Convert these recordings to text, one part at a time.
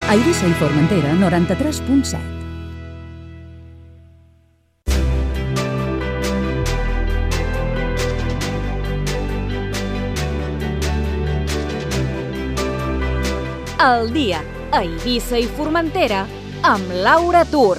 A Eivissa i Formentera, 93.7. El dia a Eivissa i Formentera amb Laura Tur.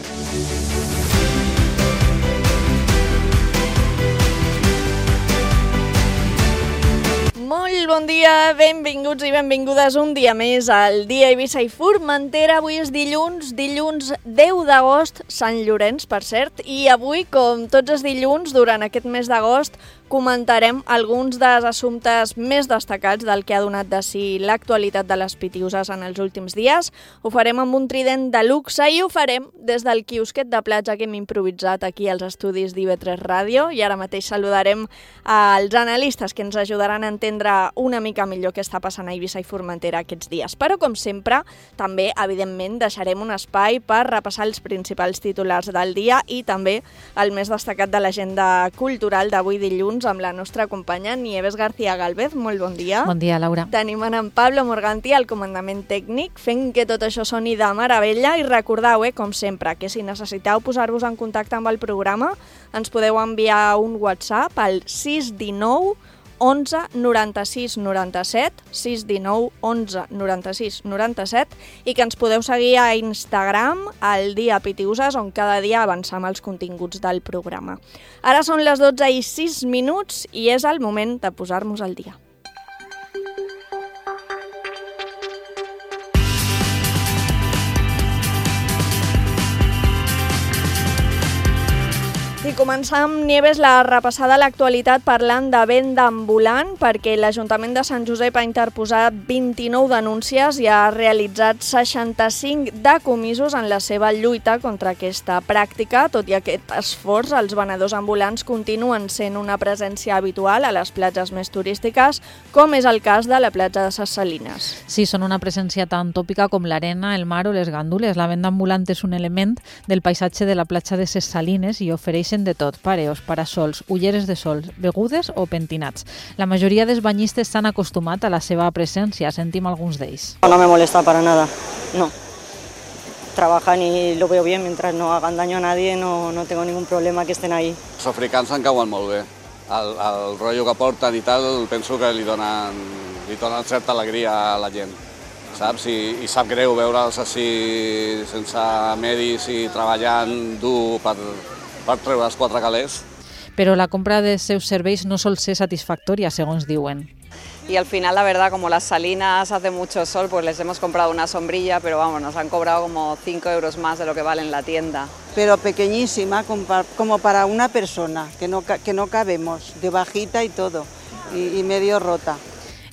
Molt bon dia, benvinguts i benvingudes un dia més al dia a Eivissa i Formentera. Avui és dilluns 10 d'agost, Sant Llorenç, per cert, i avui, com tots els dilluns, durant aquest mes d'agost, comentarem alguns dels assumptes més destacats del que ha donat de si l'actualitat de les Pitiüses en els últims dies. Ho farem amb un trident de luxe i ho farem des del quiosquet de platja que hem improvisat aquí als estudis d'IV3 Ràdio, i ara mateix saludarem als analistes que ens ajudaran a entendre una mica millor què està passant a Eivissa i Formentera aquests dies. Però, com sempre, també, evidentment, deixarem un espai per repassar els principals titulars del dia i també el més destacat de l'agenda cultural d'avui dilluns, amb la nostra companya Nieves García Gálvez. Molt bon dia. Bon dia, Laura. Tenim en Pablo Morganti al comandament tècnic, fent que tot això soni de meravella, i recordeu, com sempre, que si necessiteu posar-vos en contacte amb el programa, ens podeu enviar un WhatsApp al 619 11 96 97, 619 11 96 97, i que ens podeu seguir a Instagram, al Dia Pitiüses, on cada dia avancem els continguts del programa. Ara són les 12:06 i és el moment de posar-nos al dia. I començam, Nieves, la repassada a l'actualitat parlant de venda ambulant, perquè l'Ajuntament de Sant Josep ha interposat 29 denúncies i ha realitzat 65 decomisos en la seva lluita contra aquesta pràctica. Tot i aquest esforç, els venedors ambulants continuen sent una presència habitual a les platges més turístiques, com és el cas de la platja de Ses Salines. Sí, són una presència tan tòpica com l'arena, el mar o les gàndules. La venda ambulant és un element del paisatge de la platja de Ses Salines i ofereixen de tot: pareos, parasols, ulleres de sol, begudes o pentinats. La majoria dels banyistes s'han acostumat a la seva presència. Sentim alguns d'ells. No me molesta para nada, no. Trabajan y lo veo bien, mientras no hagan daño a nadie, no tengo ningún problema que estén ahí. Els africans en cauen molt bé. El rotllo que porten i tal, penso que li donen certa alegria a la gent, saps? I sap greu veure'ls així sense medis i treballant dur per treure els quatre calés. Però la compra dels seus serveis no sol ser satisfactòria, segons diuen. Y al final, la verdad, como las Salinas hace mucho sol, pues les hemos comprado una sombrilla, pero vamos, nos han cobrado como 5 euros más de lo que vale en la tienda. Pero pequeñísima, como para una persona, que no cabemos, de bajita y todo, y medio rota.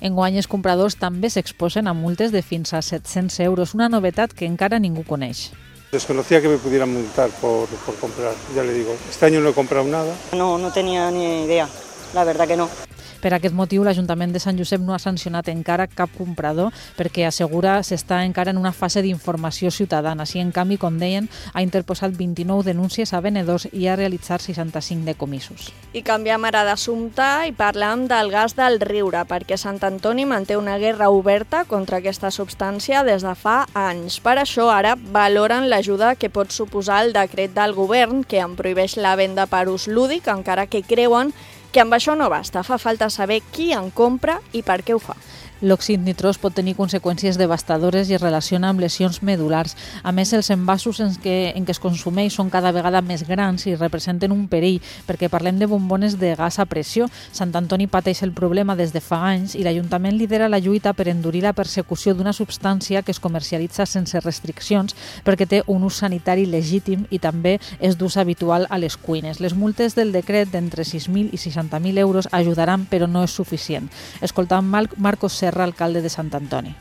Enguany els compradors també s'exposen a multes de fins a 700 euros, una novetat que encara ningú coneix. Desconocía que me pudieran multar por comprar, ya le digo. Este año no he comprado nada. No tenía ni idea, la verdad que no. Per aquest motiu, l'Ajuntament de Sant Josep no ha sancionat encara cap comprador, perquè assegura s'està encara en una fase d'informació ciutadana. Si en canvi, com deien, ha interposat 29 denúncies a venedors i ha realitzat 65 decomisos. I canviem ara d'assumpte i parlam del gas del riure, perquè Sant Antoni manté una guerra oberta contra aquesta substància des de fa anys. Per això ara valoren l'ajuda que pot suposar el decret del govern que en prohibeix la venda per ús lúdic, encara que creuen que amb això no basta, fa falta saber qui en compra i per què ho fa. L'òxid nitrós pot tenir conseqüències devastadores i es relaciona amb lesions medulars. A més, els envasos en què es consumeix són cada vegada més grans i representen un perill, perquè parlem de bombones de gas a pressió. Sant Antoni pateix el problema des de fa anys i l'Ajuntament lidera la lluita per endurir la persecució d'una substància que es comercialitza sense restriccions perquè té un ús sanitari legítim i també és d'ús habitual a les cuines. Les multes del decret d'entre 6.000 i 60.000 euros ajudaran, però no és suficient. Escoltant Marcos Serra, alcalde de Sant Antoni.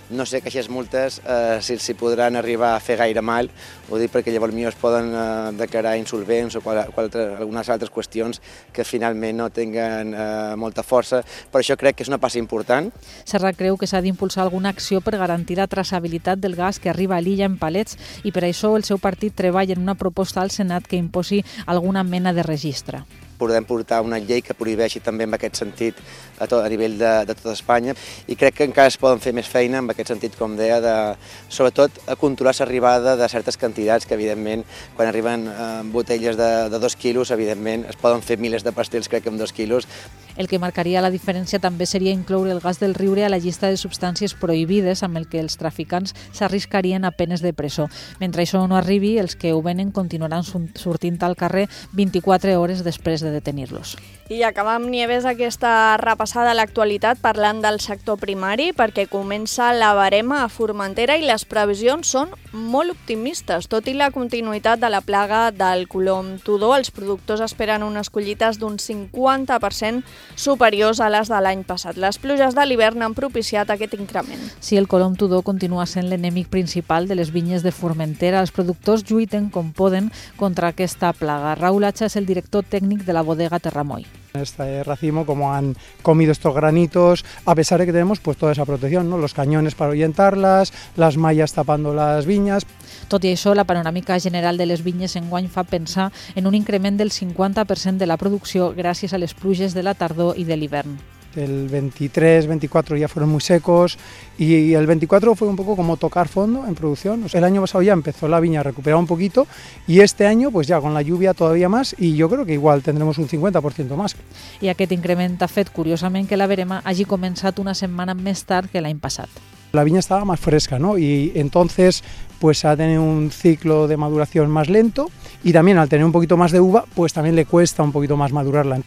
No sé que aquestes multes si podran arribar a fer gaire mal, ho dic perquè llavors es poden declarar insolvents o algunes altres qüestions que finalment no tinguen molta força, però això crec que és una passa important. Serra creu que s'ha d'impulsar alguna acció per garantir la traçabilitat del gas que arriba a l'illa en palets i per això el seu partit treballa en una proposta al Senat que imposi alguna mena de registre. podem portar una llei que prohibeixi també en aquest sentit a nivell de tota Espanya, i crec que encara es poden fer més feina en aquest sentit, com deia, sobretot a controlar l'arribada de certes quantitats que, evidentment, quan arriben botelles de 2 quilos, evidentment, es poden fer milers de pastels, crec que amb 2 quilos. El que marcaria la diferència també seria incloure el gas del riure a la llista de substàncies prohibides, amb el que els traficants s'arriscarien a penes de presó. Mentre això no arribi, els que ho venen continuaran sortint al carrer 24 hores després de detenir-los. I acabem, Nieves, aquesta repassada a l'actualitat parlant del sector primari, perquè comença la verema a Formentera i les previsions són molt optimistes. Tot i la continuïtat de la plaga del colom tudó, els productors esperen unes collites d'un 50% superiors a les de l'any passat. Les pluges de l'hivern han propiciat aquest increment. Si el colom tudó continua sent l'enemic principal de les vinyes de Formentera, els productors lluiten com poden contra aquesta plaga. Raúl Hacha és el director tècnic de la bodega Terramoy. Este racimo, como han comido estos granitos, a pesar de que tenemos pues toda esa protección, ¿no? Los cañones para ahuyentarlas, las mallas tapando las viñas. Tot i això, la panoràmica general de les vinyes enguany fa pensar en un increment del 50% de la producció gràcies a les pluges de la tardor i de l'hivern. El 23, 24 ya fueron muy secos y el 24 fue un poco como tocar fondo en producción. El año pasado ya empezó la viña a recuperar un poquito y este año pues ya con la lluvia todavía más y yo creo que igual tendremos un 50% más. I aquest increment ha fet, curiosament, que la verema hagi començat una setmana més tard que l'any passat. La viña estaba más fresca, ¿no? Y entonces pues ha tenido un ciclo de maduración más lento y también al tener un poquito más de uva pues también le cuesta un poquito más madurarla.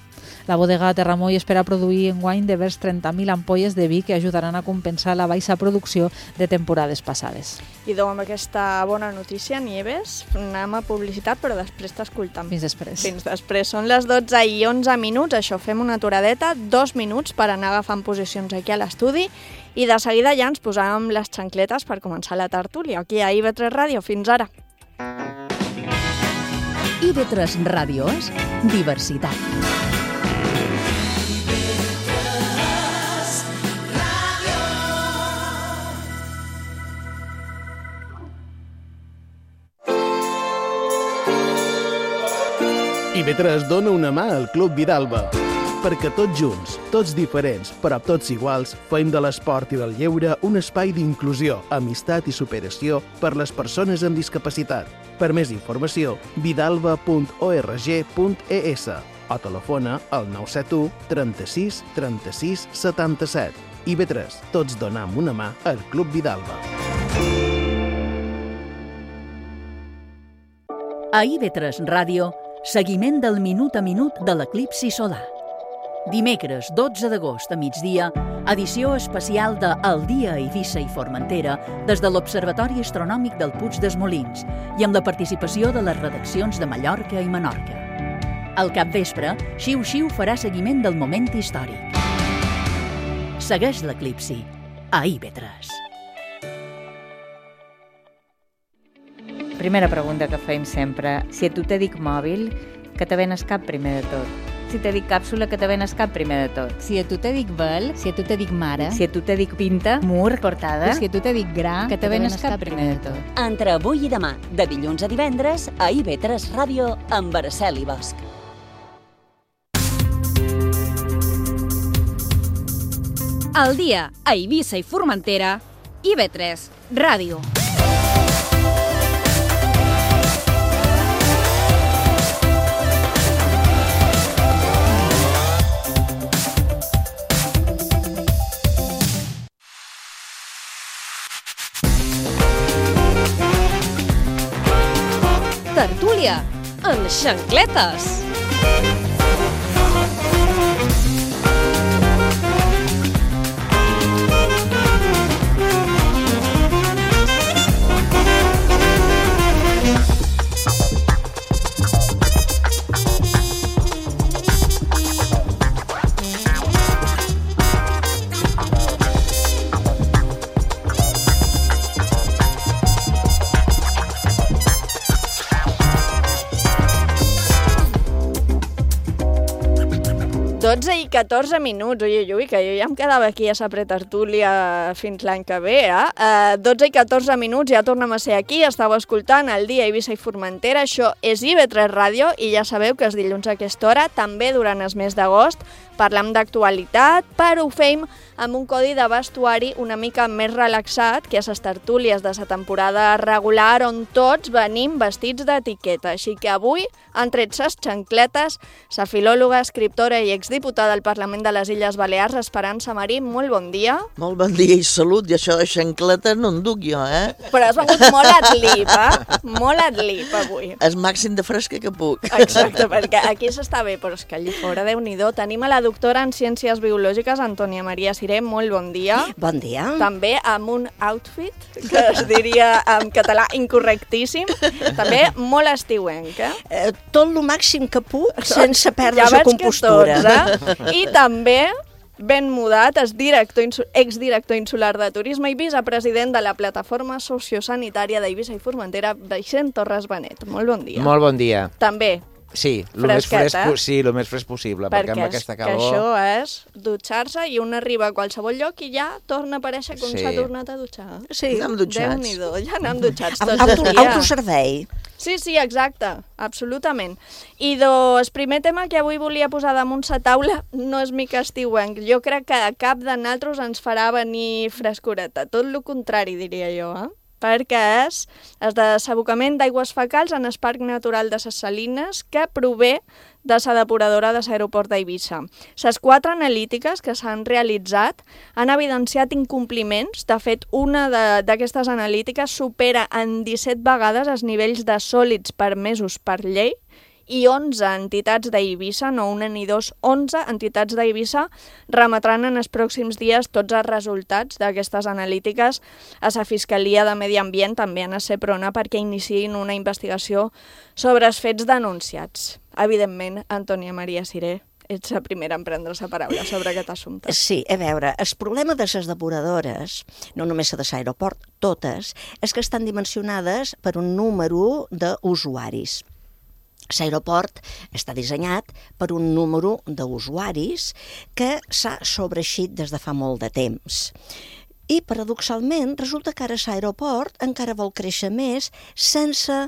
La bodega Terramoy espera produir enguany de vers 30.000 ampolles de vi que ajudaran a compensar la baixa producció de temporades passades. I amb aquesta bona notícia, Nieves, anem a publicitat, però després t'escoltam. Fins després. Fins després. Són les 12:11, això fem una aturadeta, 2 minuts per anar agafant posicions aquí a l'estudi i de seguida ja ens posàvem les xancletes per començar la tertúlia aquí a IB3 Ràdio. Fins ara. IB3 Ràdio és diversitat. IB3 dona una mà al Club Vidalba, perquè tots junts, tots diferents, però tots iguals, fem de l'esport i del lleure un espai d'inclusió, amistat i superació per les persones amb discapacitat. Per més informació, vidalba.org.es o telefona al 971 36 36 77. IB3, tots donam una mà al Club Vidalba. A IB3 Ràdio, seguiment del minut a minut de l'eclipsi solar. Dimecres 12 d'agost a migdia, edició especial de El dia a Eivissa i Formentera des de l'Observatori Astronòmic del Puig dels Molins i amb la participació de les redaccions de Mallorca i Menorca. Al capvespre, Xiu Xiu farà seguiment del moment històric. Segueix l'eclipsi a IB3. Primera pregunta que fem sempre. Si a tu te dic mòbil, que te venes cap primer de tot? Si te dic càpsula, que te venes cap primer de tot? Si a tu te dic vel, si a tu te dic mare, si a tu te dic pinta, mur, portada, si a tu te dic gra, que te venes cap primer de tot? Entre avui i demà, de dilluns a divendres, a IB3 Ràdio, amb Araceli Bosch. Al dia a Eivissa i Formentera, IB3 Ràdio. Tertúlia en xancletes. 12 i 14 minuts, ui, que jo ja em quedava aquí a sa pretertúlia fins l'any que ve, 12 i 14 minuts, ja tornem a ser aquí, estàu escoltant el Dia Eivissa i Formentera, això és IB3 Ràdio, i ja sabeu que els dilluns a aquesta hora, també durant el mes d'agost, parlem d'actualitat, però ho fem amb un codi de vestuari una mica més relaxat que a les tertúlies de la temporada regular on tots venim vestits d'etiqueta. Així que avui han tret ses xancletes la filòloga, escriptora i exdiputada del Parlament de les Illes Balears, Esperança Marí. Molt bon dia. Molt bon dia i salut, i això de xancletes no en duc jo, Però has vengut molt adlip, Molt adlip avui. El màxim de fresca que puc. Exacte, perquè aquí s'està bé, però és que allí fora, Déu-n'hi-do, tenim a la doctora en Ciències Biològiques, Antònia Maria Siré. Molt bon dia. Bon dia. També amb un outfit, que es diria en català incorrectíssim, també molt estiuenc, Tot el màxim que puc, sense perdre la compostura. Tots, I també ben mudat, exdirector insular de Turisme i vicepresident de la Plataforma Sociosanitària d'Eivissa i Formentera, Vicent Torres Benet. Molt bon dia. Molt bon dia. També. Sí, el més fresc possible, perquè amb aquesta calor... Perquè això és dutxar-se i un arriba a qualsevol lloc i ja torna a aparèixer com s'ha tornat a dutxar. Sí, Déu-n'hi-do, ja anem dutxats tots els dies. Autoservei. Sí, exacte, absolutament. I el primer tema que avui volia posar damunt la taula no és mica estiuenc. Jo crec que a cap de nosaltres ens farà venir frescoreta. Tot el contrari, diria jo, perquè és el desabocament d'aigües fecals en el Parc Natural de les Salines que prové de la depuradora de l'aeroport d'Eivissa. Les 4 analítiques que s'han realitzat han evidenciat incompliments. De fet, una d'aquestes analítiques supera en 17 vegades els nivells de sòlids permesos per llei i 11 entitats d'Eivissa, no una ni dos, 11 entitats d'Eivissa remetran en els pròxims dies tots els resultats d'aquestes analítiques a la Fiscalia de Medi Ambient, també a Seprona, perquè iniciïn una investigació sobre els fets denunciats. Evidentment, Antònia Maria Siré, ets la primera en prendre la paraula sobre aquest assumpte. Sí, a veure, el problema de les depuradores, no només la de l'aeroport, totes, és que estan dimensionades per un número d'usuaris. L'aeroport està dissenyat per un número d'usuaris que s'ha sobreeixit des de fa molt de temps. I, paradoxalment, resulta que ara l'aeroport encara vol créixer més sense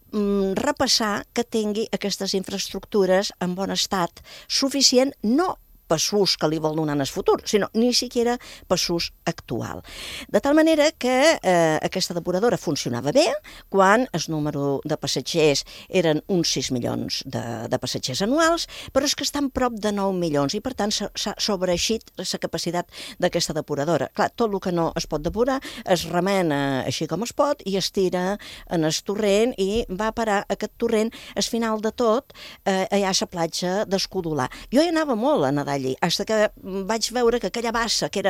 repassar que tingui aquestes infraestructures en bon estat suficient, no per l'ús que li vol donar en el futur, sinó ni siquiera per l'ús actual. De tal manera que aquesta depuradora funcionava bé quan el número de passatgers eren uns 6 milions de passatgers anuals, però és que estan prop de 9 milions i per tant s'ha sobreeixit la capacitat d'aquesta depuradora. Clar, tot el que no es pot depurar es remena així com es pot i es tira en el torrent i va parar aquest torrent al final de tot allà a la platja d'Escudolar. Jo hi anava molt a nedar allí, fins que vaig veure que aquella bassa que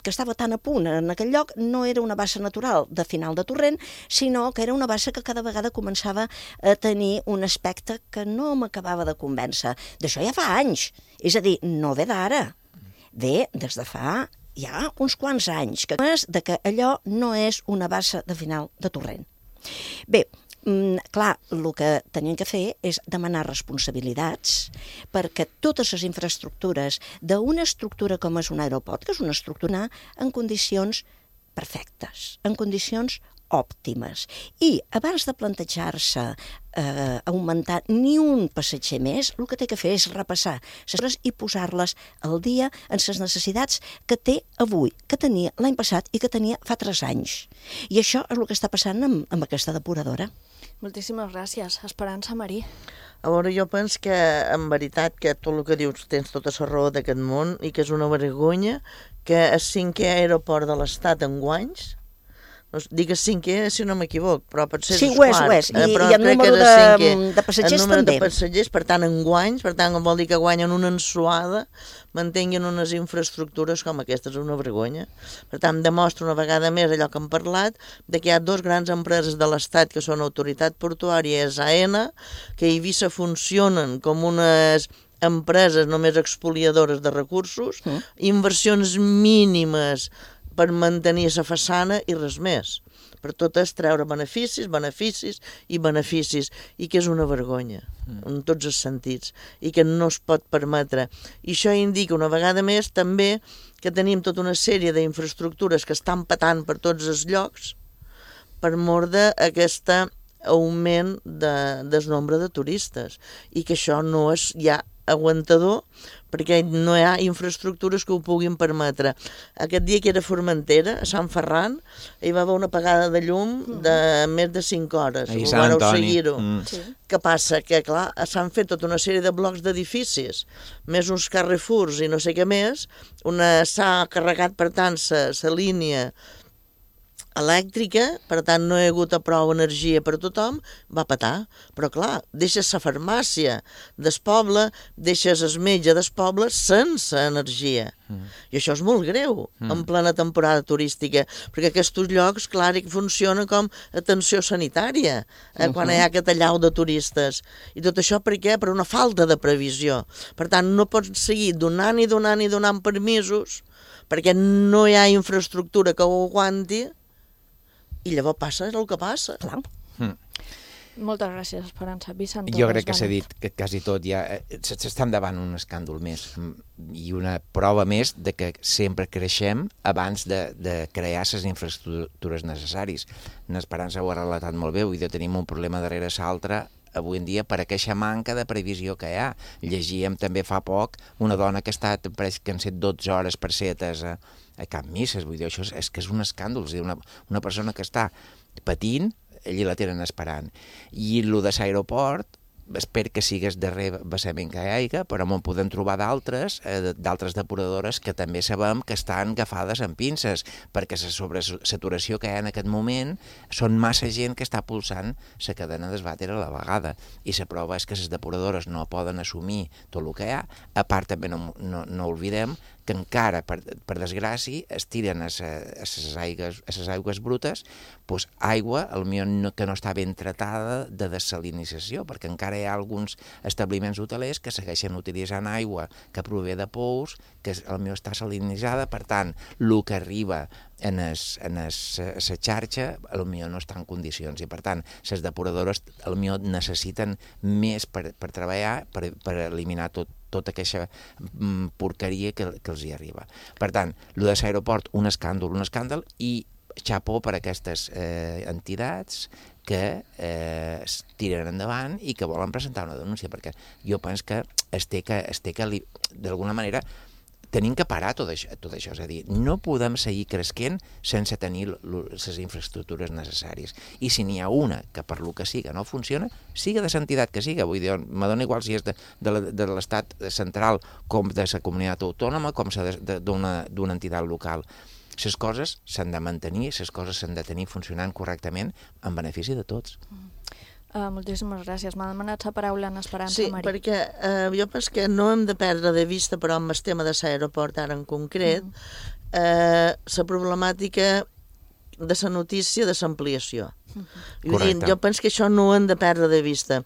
estava tan a punt en aquell lloc no era una bassa natural de final de torrent, sinó que era una bassa que cada vegada començava a tenir un aspecte que no m'acabava de convèncer. D'això ja fa anys, és a dir, no ve d'ara, ve des de fa ja uns quants anys, que és de que allò no és una bassa de final de torrent. Bé, clar, el que tenien que fer és demanar responsabilitats perquè totes les infraestructures d'una estructura com és un aeroport, que és una estructura en condicions perfectes, en condicions òptimes. I abans de plantejar-se augmentar ni un passatger més, el que té que fer és repassar les coses i posar-les al dia en les necessitats que té avui, que tenia l'any passat i que tenia fa 3 anys. I això és el que està passant amb aquesta depuradora. Moltíssimes gràcies. Esperança Marí. A veure, jo penso que, en veritat, que tot el que dius tens tota la raó d'aquest món i que és una vergonya que el 5è aeroport de l'Estat en guanys, digues 5è si no m'equivoc, però potser sí, ho és. I el número de passatgers també. El número de passatgers, per tant, en guanys, per tant, vol dir que guanyen una ensuada, mantenguin unes infraestructures com aquestes, és una vergonya. Per tant, demostra una vegada més allò que hem parlat, de que hi ha 2 grans empreses de l'Estat que són Autoritat Portuària i AENA, que a Eivissa funcionen com unes empreses només expoliadores de recursos, inversions mínimes per mantenir la façana i res més. per totes treure beneficis, beneficis i beneficis, i que és una vergonya, en tots els sentits, i que no es pot permetre. I això indica una vegada més també que tenim tota una sèrie d'infraestructures que estan patant per tots els llocs per mor d'aquest augment del nombre de turistes, i que això no és ja aguantador perquè no hi ha infraestructures que ho puguin permetre. Aquest dia que era a Formentera, a Sant Ferran, hi va haver una apagada de llum de més de 5 hores. Ahí Sant Antoni. Què passa? Que, clar, s'han fet tota una sèrie de blocs d'edificis, més uns Carrefours i no sé què més, s'ha carregat, per tant, la línia elèctrica, per tant no hi ha hagut prou energia per tothom, va petar. Però clar, deixes la farmàcia del poble, deixes el metge del poble sense energia. I això és molt greu en plena temporada turística, perquè aquests llocs, clar, funcionen com atenció sanitària quan hi ha aquest allau de turistes. I tot això per què? Per una falta de previsió. Per tant, no pots seguir donant i donant i donant permisos perquè no hi ha infraestructura que ho aguanti. I llavors passa el que passa. Clar. Moltes gràcies, Esperança. Vicent Torres. Jo crec que s'ha dit que quasi tot ja s'està endavant un escàndol més i una prova més de que sempre creixem abans de crear les infraestructures necessàries. N'Esperança ho ha relatat molt bé, vull dir, tenim un problema darrere l'altre avui en dia per aquesta manca de previsió que hi ha. Llegíem també fa poc una dona que ha estat, pareix que han set 12 hores per ser atesa a cap misses, vull dir, això és que és un escàndol, és a dir, una persona que està patint, allí la tenen esperant. I el de l'aeroport, espero que sigues darrer vessament que hi hagi, però en podem trobar d'altres depuradores que també sabem que estan agafades amb pinces, perquè la sobresaturació que hi ha en aquest moment són massa gent que està pulsant la cadena d'esvàter a la vegada. I la prova és que les depuradores no poden assumir tot el que hi ha. A part, també no oblidem que encara, per desgràcia, es tiren a les aigües brutes aigua que no està ben tratada de dessalinització, perquè encara hi ha alguns establiments hotelers que segueixen utilitzant aigua que prové de pous, que potser està salinitzada, per tant, el que arriba en la xarxa potser no està en condicions, i per tant, les depuradores potser necessiten més per treballar, per eliminar tota aquesta porqueria que els hi arriba. Per tant, el de l'aeroport, un escàndol, i xapó per aquestes entitats que es tiren endavant i que volen presentar una denúncia, perquè jo penso que es té que d'alguna manera tenim que parar tot això, és a dir, no podem seguir creixent sense tenir les infraestructures necessàries. I si n'hi ha una que per lo que siga no funciona, siga de l'entitat que siga, vull dir, me dona igual si és de l'estat central com de la comunitat autònoma, com d'una entitat local. Les coses s'han de mantenir, les coses s'han de tenir funcionant correctament en benefici de tots. Moltíssimes gràcies. M'ha demanat la paraula en Esperança, sí, Mari. Sí, perquè jo penso que no hem de perdre de vista, però amb el tema de l'aeroport ara en concret, la problemàtica de la notícia de l'ampliació. Jo penso que això no ho hem de perdre de vista,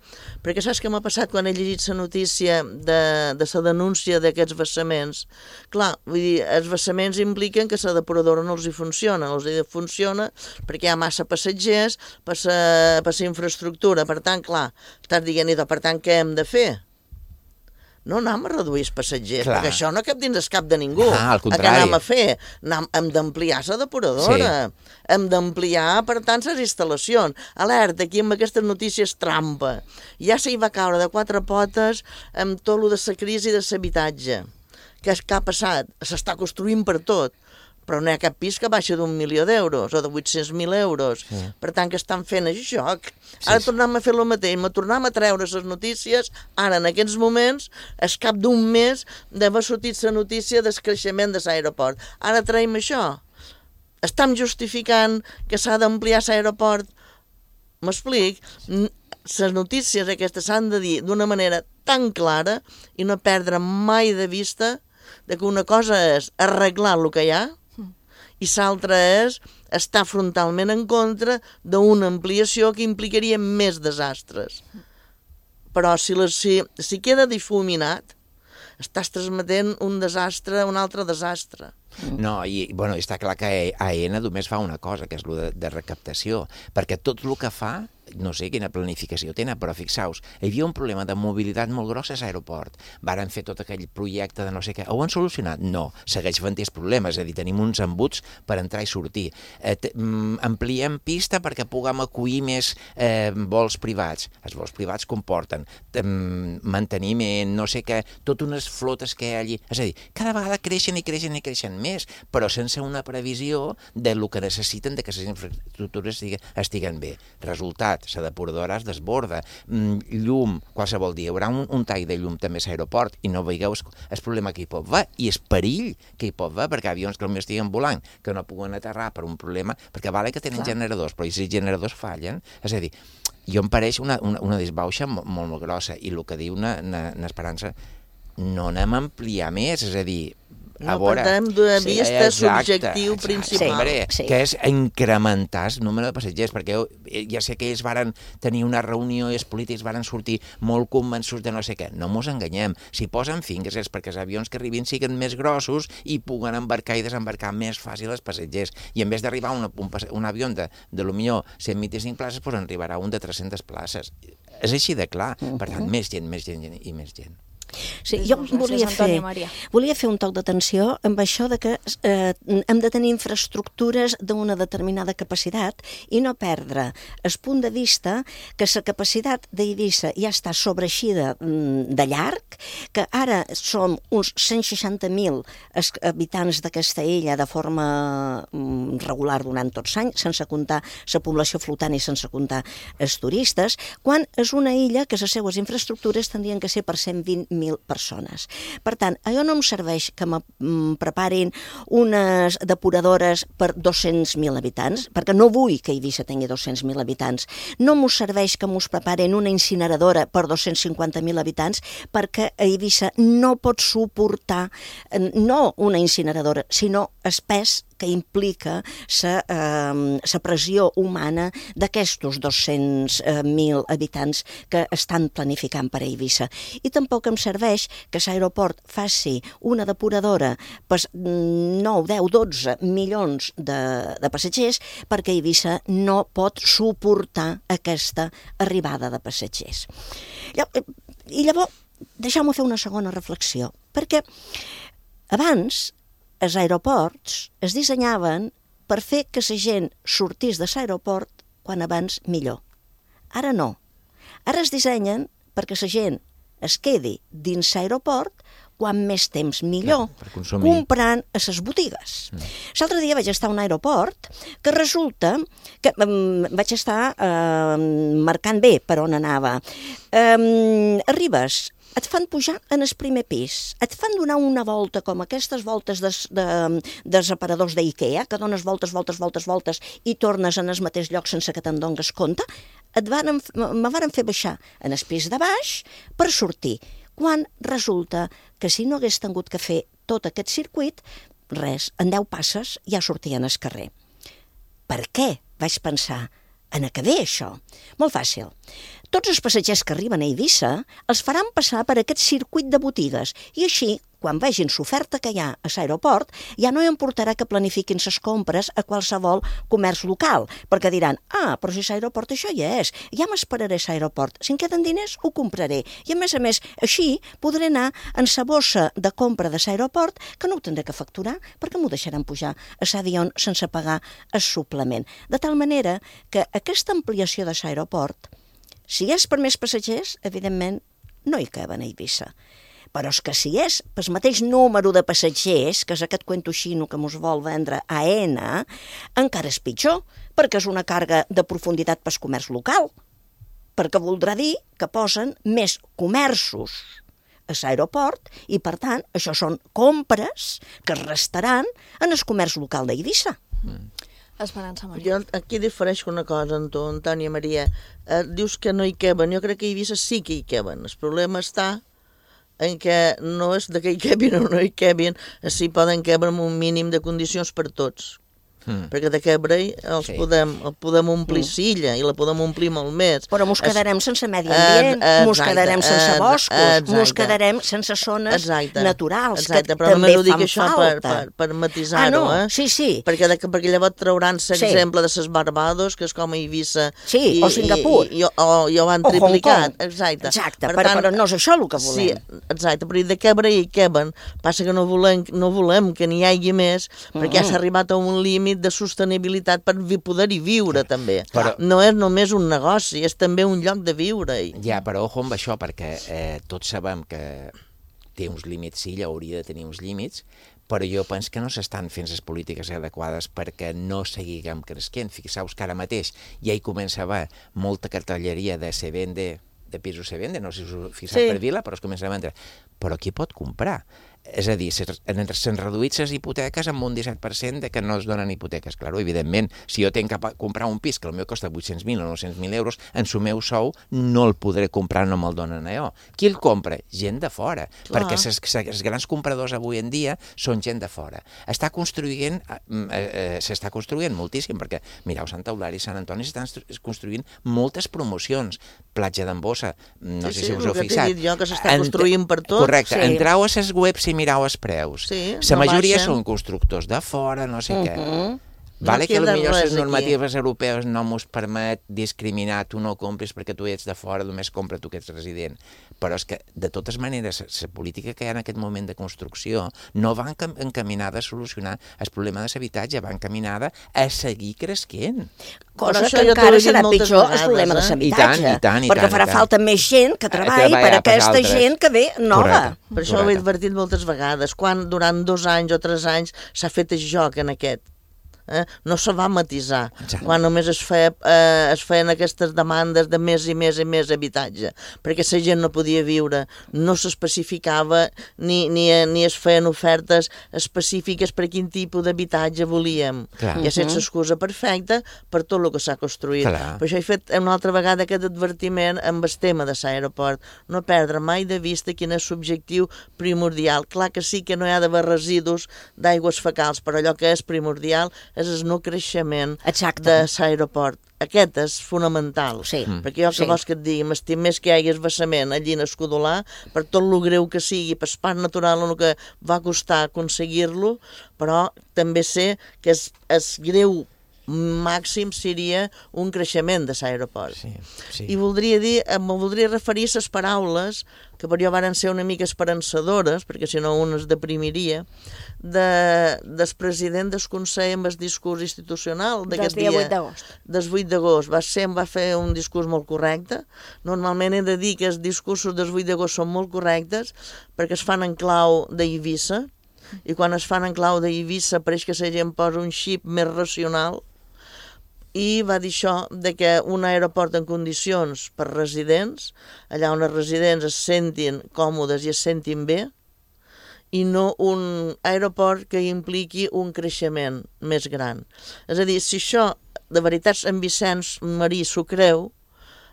perquè saps què m'ha passat quan he llegit la notícia de la denúncia d'aquests vessaments? Clar, vull dir, els vessaments impliquen que la depuradora no els hi funciona, perquè hi ha massa passatgers per la infraestructura, per tant, clar, estàs dient, per tant, què hem de fer? No anem a reduir els passatgers, perquè això no cap dins el cap de ningú. Al contrari. Què anem a fer? Hem d'ampliar la depuradora. Sí. Hem d'ampliar, per tant, les instal·lacions. Alerta, aquí amb aquestes notícies trampa. Ja s'hi va caure de 4 potes amb tot el de la crisi de l'habitatge. Què ha passat? S'està construint per tot. Però no hi ha cap pis que baixa d'1.000.000 d'euros o de 800.000 euros. Sí. Per tant, que estan fent el joc. Ara tornem a fer el mateix, tornem a treure les notícies, ara en aquests moments, al cap d'un mes d'haver sortit la notícia del creixement de l'aeroport. Ara traiem això. Estem justificant que s'ha d'ampliar l'aeroport. M'explic? Les notícies aquestes s'han de dir d'una manera tan clara i no perdre mai de vista que una cosa és arreglar el que hi ha i l'altra és estar frontalment en contra d'una ampliació que implicaria més desastres. Però si queda difuminat, estàs transmetent un altre desastre. No, i està clar que AENA només fa una cosa, que és el de recaptació, perquè tot el que fa, no sé quina planificació tenen, però fixeu-vos, hi havia un problema de mobilitat molt gros a l'aeroport. Varen fer tot aquell projecte de no sé què. Ho han solucionat? No. Segueix fent els problemes, és a dir, tenim uns embuts per entrar i sortir. Ampliem pista perquè puguem acollir més vols privats. Els vols privats comporten manteniment, no sé què, totes unes flotes que hi ha allí. És a dir, cada vegada creixen i creixen i creixen més, però sense una previsió del que necessiten de que les infraestructures estiguen bé. Resultat, la depuradora es desborda, llum, qualsevol dia, hi haurà un tall de llum també a l'aeroport i no veieu el problema que hi pot haver i el perill que hi pot haver, perquè avions que potser estiguen volant, que no puguen aterrar per un problema, perquè vale que tenen generadors, però si els generadors fallen, és a dir, jo em pareix una desbauxa molt grossa, i el que diu n'Esperança, no anem a ampliar més, és a dir, no perdem de vista l'objectiu principal. Que és incrementar el número de passatgers, perquè ja sé que ells varen tenir una reunió i els polítics varen sortir molt convençuts de no sé què. No mos enganyem. Si posen finques és perquè els avions que arribin siguin més grossos i puguen embarcar i desembarcar més fàcil els passatgers. I en vez d'arribar un avió de millor 125 places, doncs en arribarà un de 300 places. És així de clar. Per tant, més gent i més gent. Sí, jo volia fer un toc d'atenció amb això de que hem de tenir infraestructures d'una determinada capacitat i no perdre el punt de vista que la capacitat d'Eivissa ja està sobreeixida de llarg, que ara som uns 160.000 habitants d'aquesta illa de forma regular durant tots anys, sense comptar la població flotant i sense comptar els turistes, quan és una illa que les seues infraestructures tindrien que ser per 120.000 persones. Per tant, allò no em serveix que me preparin unes depuradores per 200.000 habitants, perquè no vull que Eivissa tingui 200.000 habitants. No m'ho serveix que m'ho preparin una incineradora per 250.000 habitants, perquè Eivissa no pot suportar no una incineradora, sinó el pes que implica la pressió humana d'aquestos 200.000 habitants que estan planificant per a Eivissa. I tampoc em serveix que l'aeroport faci una depuradora per 9, 10, 12 milions de passatgers, perquè Eivissa no pot suportar aquesta arribada de passatgers. I llavors, deixeu-me fer una segona reflexió, perquè abans els aeroports es dissenyaven per fer que la gent sortís de l'aeroport quan abans millor. Ara no. Ara es dissenyen perquè la gent es quedi dins l'aeroport quan més temps millor, comprant a les botigues. L'altre dia vaig estar a un aeroport que resulta que vaig estar marcant bé per on anava. Arribes, et fan pujar en el primer pis, et fan donar una volta com aquestes voltes dels aparadors d'Ikea, que dones voltes i tornes en el mateix lloc sense que te'n dones compte. Me varen fer baixar en el pis de baix per sortir, quan resulta que si no hagués tingut que fer tot aquest circuit, res, en 10 passes ja sortien al carrer. Per què? Vaig pensar, en què ve això? Molt fàcil. Tots els passatgers que arriben a Eivissa els faran passar per aquest circuit de botigues i així, quan vegin l'oferta que hi ha a l'aeroport, ja no importarà que planifiquin les compres a qualsevol comerç local, perquè diran, però si l'aeroport això ja és, ja m'esperaré a l'aeroport, si em queden diners ho compraré. I a més, així podré anar en la bossa de compra de l'aeroport que no ho tindré que facturar perquè m'ho deixaran pujar a l'avió sense pagar el suplement. De tal manera que aquesta ampliació de l'aeroport, si és per més passatgers, evidentment no hi caben a Eivissa. Però és que si és pel mateix número de passatgers, que és aquest cuento xino que mos vol vendre AENA, encara és pitjor, perquè és una càrrega de profunditat pel comerç local, perquè voldrà dir que posen més comerços a l'aeroport i, per tant, això són compres que es restaran en el comerç local d'Eivissa. Esperança Maria. Jo aquí difereixo una cosa amb tu, Antònia Maria. Dius que no hi caben. Jo crec que a Eivissa sí que hi caben. El problema està en què no és de que hi cabin o no hi cabin, si poden caber amb un mínim de condicions per tots. perquè de Cabrell els podem omplir Silla i la podem omplir molt més. Però mos quedarem sense medi ambient, mos quedarem sense boscos, mos quedarem sense zones naturals, que també fan falta. Per matisar-ho, Sí. Perquè llavors trauran-se exemple de les Barbados, que és com a Eivissa, o Singapur, i ho han triplicat. Exacte, però no és això el que volem. Sí, exacte, però de Cabrell i Queben passa que no volem que n'hi hagi més, perquè ja s'ha arribat a un límit de sostenibilitat per poder-hi viure, també. No és només un negoci, és també un lloc de viure-hi. Ja, però ojo amb això, perquè tots sabem que té uns límits, sí, hauria de tenir uns límits, però jo penso que no s'estan fent les polítiques adequades perquè no seguiguem creixent. Fixeu-vos que ara mateix ja hi comença a haver molta cartelleria de se vende, de pisos se vende, no sé si us fixeu per vila, però es comença a vendre. Però qui pot comprar? És a dir, s'han reduït les hipoteques amb un 17% de que no es donen hipoteques. Clar, evidentment, si jo tinc que comprar un pis que el meu costa 800.000 o 900.000 euros, en el meu sou no el podré comprar, no me'l donen allò. Qui el compra? Gent de fora. Perquè els grans compradors avui en dia són gent de fora. S'està construint moltíssim, perquè mireu, Sant Eulàlia i Sant Antoni s'estan construint moltes promocions. Platja d'en Bossa, no sé si us heu fixat. Sí, el que t'he dit jo, que s'està construint per tot. Correcte, entreu a les webs i mireu els preus. La majoria són constructors de fora, no sé què. Vale que potser les normatives europees no mos permet discriminar, tu no compris perquè tu ets de fora, només compra tu que ets resident. Però és que, de totes maneres, la política que hi ha en aquest moment de construcció no va encaminada a solucionar el problema de l'habitatge, va encaminada a seguir creixent. Cosa que encara serà pitjor el problema de l'habitatge, perquè farà falta més gent que treballi per a aquesta gent que ve nova. Per això ho he advertit moltes vegades, quan durant 2 anys o 3 anys s'ha fet el joc en aquest. No se va matisar, quan només es feien aquestes demandes de més i més i més habitatge, perquè la gent no podia viure, no s'especificava ni es feien ofertes específiques per quin tipus d'habitatge volíem. I ha estat l'excusa perfecta per tot el que s'ha construït. Per això he fet una altra vegada aquest advertiment amb el tema de l'aeroport, no perdre mai de vista quin és l'objectiu primordial. Clar que sí que no hi ha d'haver residus d'aigües fecals, però allò que és primordial és el no creixement de l'aeroport. Aquest és fonamental, perquè jo que vols que et digui, m'estim més que hi hagi vessament allí en Escudolà, per tot el greu que sigui, per part natural el que va costar aconseguir-lo, però també sé que és greu màxim seria un creixement de l'aeroport. I voldria referir a les paraules que per jo van ser una mica esperançadores, perquè si no un es deprimiria, del president del Consell amb el discurs institucional d'aquest dia. Del 8 d'agost. Va fer un discurs molt correcte. Normalment he de dir que els discursos del 8 d'agost són molt correctes perquè es fan en clau d'Eivissa, i quan es fan en clau d'Eivissa pareix que la gent posa un xip més racional, i va dir això, que un aeroport en condicions per residents, allà on els residents es sentin còmodes i es sentin bé, i no un aeroport que impliqui un creixement més gran. És a dir, si això de veritat en Vicenç Marí s'ho creu,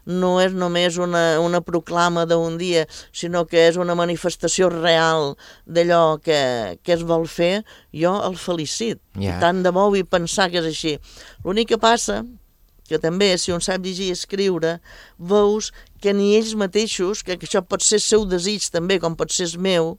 no és només una proclama d'un dia, sinó que és una manifestació real d'allò que es vol fer, jo el felicit. I tant de bo vull pensar que és així. L'únic que passa, que també, si un sap llegir i escriure, veus que ni ells mateixos, que això pot ser el seu desig també, com pot ser el meu,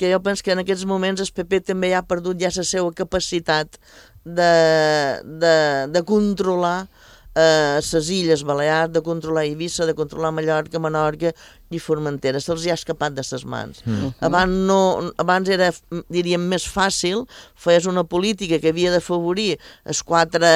que jo penso que en aquests moments el PP també ha perdut ja la seva capacitat de controlar les Illes Balears, de controlar Eivissa, de controlar Mallorca, Menorca i Formentera. Se'ls ha escapat de ses mans. Abans era, diríem, més fàcil, feies una política que havia d'afavorir els 4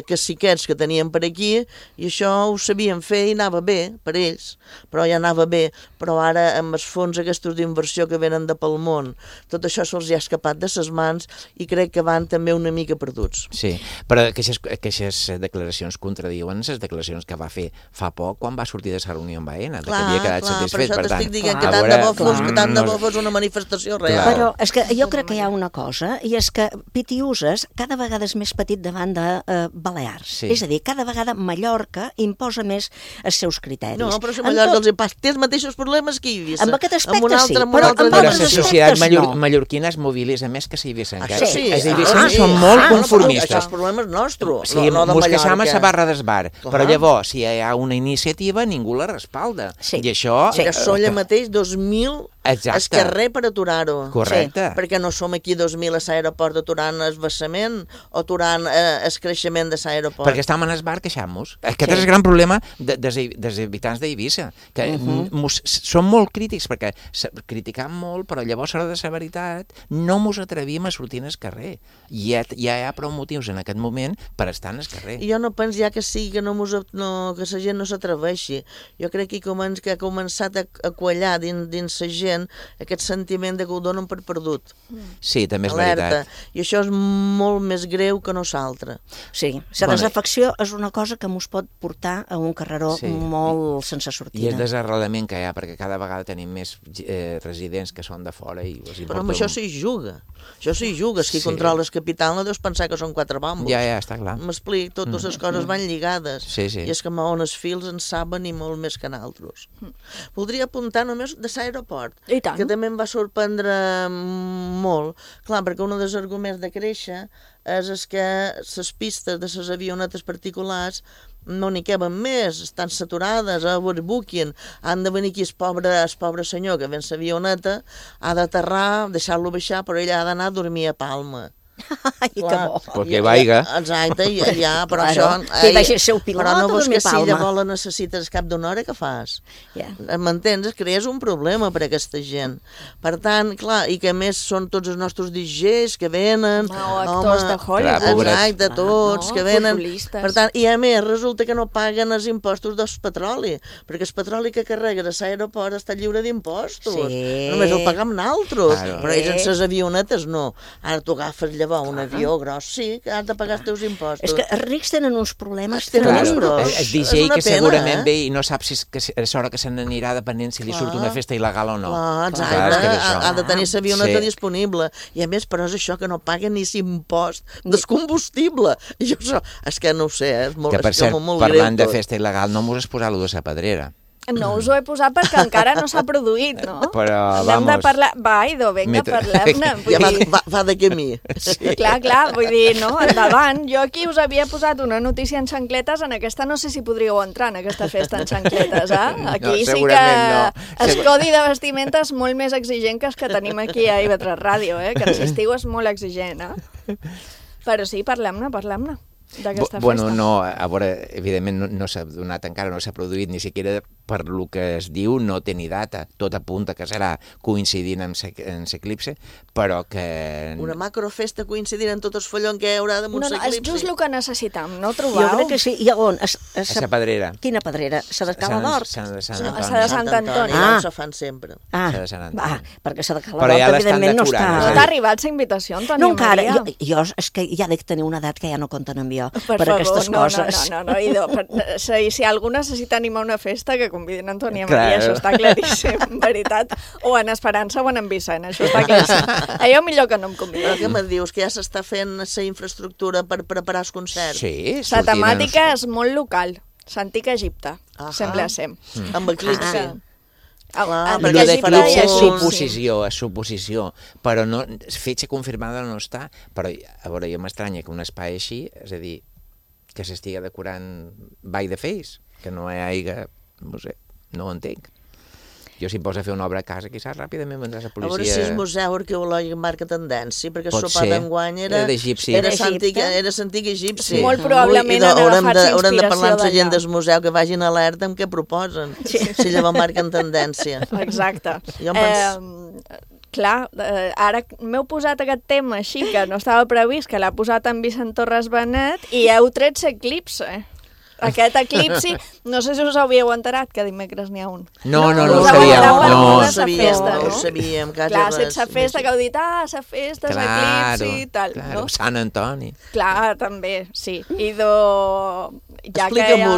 caciquets que tenien per aquí, i això ho sabien fer i anava bé per ells, però ja anava bé. Però ara, amb els fons aquests d'inversió que venen de pel món, tot això se'ls ha escapat de ses mans i crec que van també una mica perduts. Sí, però aquestes declaracions contradiuen les declaracions que va fer fa poc quan va sortir de la reunió amb Aena, que havia quedat satisfets, per tant. T'estic dient que tant de bo fos una manifestació real. Però és que jo crec que hi ha una cosa, i és que Pitiuses cada vegada és més petit davant de Balears. És a dir, cada vegada Mallorca imposa més els seus criteris. No, però si Mallorca els hi passa, té els mateixos problemes que Eivissa. Amb aquest aspecte sí, però la societat mallorquina es mobilitza més que Eivissa encara. Sí, els eivissencs són molt conformistes. Això és problema nostre, sí, no de mos queixam a Mallorca. la barra d'esbar, però llavors, si hi ha una iniciativa, ningú la respalda. I això... Que són allà mateix 2.000 es carrer per aturar-ho. Correcte. Perquè no som aquí 2.000 a l'aeroport aturant el vessament o aturant el creixement de l'aeroport. Perquè estem en el bar queixant-nos. Aquest és el gran problema dels habitants d'Eivissa, que són molt crítics, perquè criticam molt, però llavors a l'hora de la veritat no mos atrevim a sortir al carrer. Ja hi ha prou motius en aquest moment per estar en el carrer. Jo no penso ja que sigui que la gent no s'atreveixi. Jo crec que ha començat a quallar dins la gent aquest sentiment de que ho donen per perdut. Sí, també és veritat. I això és molt més greu que nosaltres. Sí, la desafecció és una cosa que mos pot portar a un carreró molt sense sortida. I és desarrelament que hi ha, perquè cada vegada tenim més residents que són de fora i els importa... Però amb això s'hi juga. Això s'hi juga. Si controles capital no deus pensar que són 4 bambos. Ja, està clar. M'explic, totes les coses van lligades. Sí. I és que on els fils en saben i molt més que nosaltres. Voldria apuntar només de l'aeroport, que també em va sorprendre molt. Clar, perquè un dels arguments de créixer és que les pistes de les avionetes particulars no n'hi queben més, estan saturades, overbooking, han de venir aquí el pobre senyor que ven l'avioneta, ha d'aterrar, deixar-lo baixar, però ell ha d'anar a dormir a Palma. Ai, que bo. Perquè vaiga. Exacte, ja, però això... Que vagi el seu pilot però no vols que si Palma. llavors la necessites cap d'una hora, què fas? M'entens? Crees un problema per a aquesta gent. Per tant, clar, i que a més són tots els nostres DJs que venen... O actors de Hollywood. Exacte, tots que venen. Per tant, i a més resulta que no paguen els impostos del petroli, perquè el petroli que carregues a l'aeroport està lliure d'impostos. Només el pagam nosaltres, però ells en les avionetes no. Ara tu agafes llavors un avió gros, sí, que has de pagar els teus impostos. És que els rics tenen uns problemes tremendos. El DJ que segurament ve i no sap si és hora que se n'anirà depenent si li surt una festa il·legal o no. Exacte, ha de tenir l'avioneta disponible. I a més, però és això que no paguen ni l'impost del combustible. I això, és que no ho sé, és molt greu tot. Que per cert, parlant de festa il·legal, no m'ho has posat allò de la Pedrera. No us ho he posat perquè encara no s'ha produït, no? Però, hem de parlar... Va, idò, vinga, parlem-ne. Ja va de camí. Clar, vull dir, no, endavant. Jo aquí us havia posat una notícia en xancletes, en aquesta no sé si podríeu entrar en aquesta festa en xancletes, Aquí sí que el codi de vestimenta és molt més exigent que els que tenim aquí a IB3 Ràdio, que ens estiu és molt exigent, Però sí, parlem-ne. D'aquesta festa. No, a veure, evidentment no s'ha donat encara, no s'ha produït ni siquiera per lo que es diu, no té ni data. Tot apunta que serà coincidint amb l'eclipse, però que... Una macrofesta coincidint en tot el follon que hi haurà damunt l'eclipse. No, és just el que necessitam, no ho trobeu? Jo crec que sí. I on? A la Pedrera. Quina Pedrera? La de Cala d'Hort? A la de Sant Antoni. Se fan sempre. Perquè la de Cala d'Hort, evidentment, no està... No t'ha arribat la invitació, Antònia Maria? No, encara. Jo és que ja dic tenir una edat que ja no compten amb jo per aquestes coses. No, idò. Si algú necessita animar una festa, que convidin Antònia Maria, això està claríssim, en veritat. O en Esperança o en Vicent, això està claríssim. Allò millor que no em convidin. Però què me dius? Que ja s'està fent la infraestructura per preparar els concerts? Sí. La temàtica és molt local. L'antic Egipte, sembla ser. Amb eclipse. Lo d'eclipse és suposició, però fetge confirmada no està. Però, a veure, jo m'estranya que un espai així, és a dir, que s'estiga decorant by the face, que no hi hagi, no sé, no ho entenc. Jo si em posa a fer una obra a casa, quizás ràpidament vendrà la policia... A veure si el Museu Arqueològic marca tendència, perquè el sopar d'enguany era d'egipci. Era l'antic egipci. Molt probablement han agafat inspiració d'allà. Haurem de parlar amb la gent del museu que vagin alerta amb què proposen, si llavors marquen tendència. Exacte. Clar, ara m'heu posat aquest tema així, que no estava previst, que l'ha posat en Vicent Torres Benet, i heu tret l'eclipse. Aquest eclipsi, no sé si us havíeu enterat que dimecres n'hi ha un. No ho sabíem. No ho sabíem. Clar, sense festa, que heu dit, la festa, l'eclipsi i tal. Claro, Sant Antoni. Clar, també, sí. Explica-m'ho.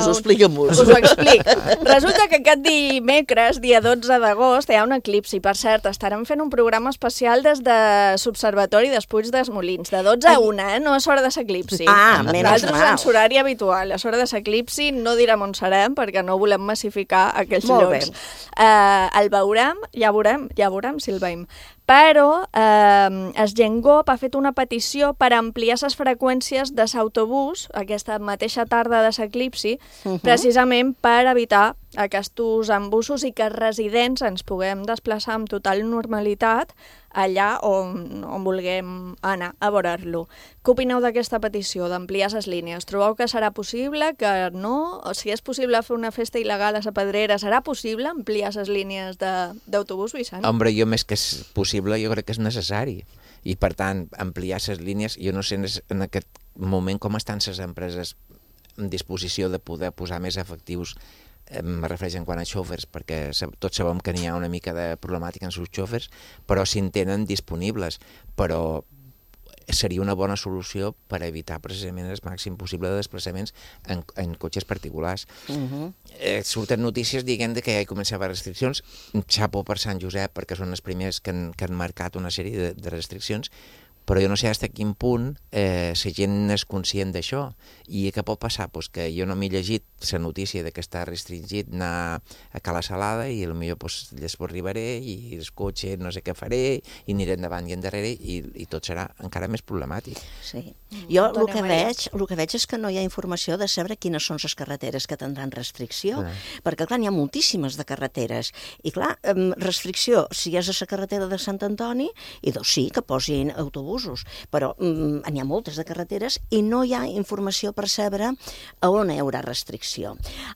Us ho explic. Resulta que aquest dimecres, dia 12 d'agost, hi ha un eclipsi. Per cert, estarem fent un programa especial des de l'Observatori d'Espuig dels Molins, de 12 a 1, no és hora de l'eclipsi. Nosaltres en l'horari habitual. És hora de l'eclipsi, no direm on serem, perquè no volem massificar aquells llocs. El veurem, ja veurem si el veiem. Però el Gengop ha fet una petició per ampliar les freqüències de l'autobús aquesta mateixa tarda de l'eclipsi, precisament per evitar aquests embussos i que els residents ens puguem desplaçar amb total normalitat allà on vulguem anar a veure-lo. Què opineu d'aquesta petició, d'ampliar les línies? Trobeu que serà possible, que no? O si és possible fer una festa il·legal a la Pedrera, serà possible ampliar les línies d'autobús, Vicent? Hombre, jo més que és possible, jo crec que és necessari. I, per tant, ampliar les línies, jo no sé en aquest moment com estan les empreses en disposició de poder posar més efectius, em refereixo en quant a xòfers, perquè tots sabem que n'hi ha una mica de problemàtica en els xòfers, però si en tenen disponibles. Però seria una bona solució per evitar precisament el màxim possible de desplaçaments en cotxes particulars. Surten notícies dient que ja hi comença a haver restriccions. Xapo per Sant Josep, perquè són els primers que han marcat una sèrie de restriccions, però jo no sé fins a quin punt la gent és conscient d'això. I què pot passar? Pues que jo no m'he llegit la notícia de que està restringit anar a Cala Salada i potser després arribaré i el cotxe no sé què faré i aniré endavant i endarrere i tot serà encara més problemàtic. Sí. Jo el que veig és que no hi ha informació de saber quines són les carreteres que tindran restricció, perquè clar, n'hi ha moltíssimes de carreteres i clar, restricció, si és a la carretera de Sant Antoni, i doncs sí, que posin autobusos, però n'hi ha moltes de carreteres i no hi ha informació per saber a on hi haurà restricció.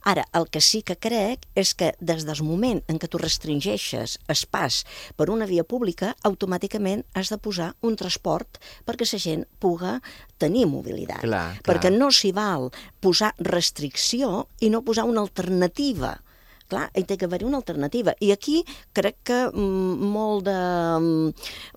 Ara, el que sí que crec és que des del moment en què tu restringeixes el pas per una via pública, automàticament has de posar un transport perquè la gent puga tenir mobilitat. Perquè no s'hi val posar restricció i no posar una alternativa. Clar, hi té que haver una alternativa. I aquí crec que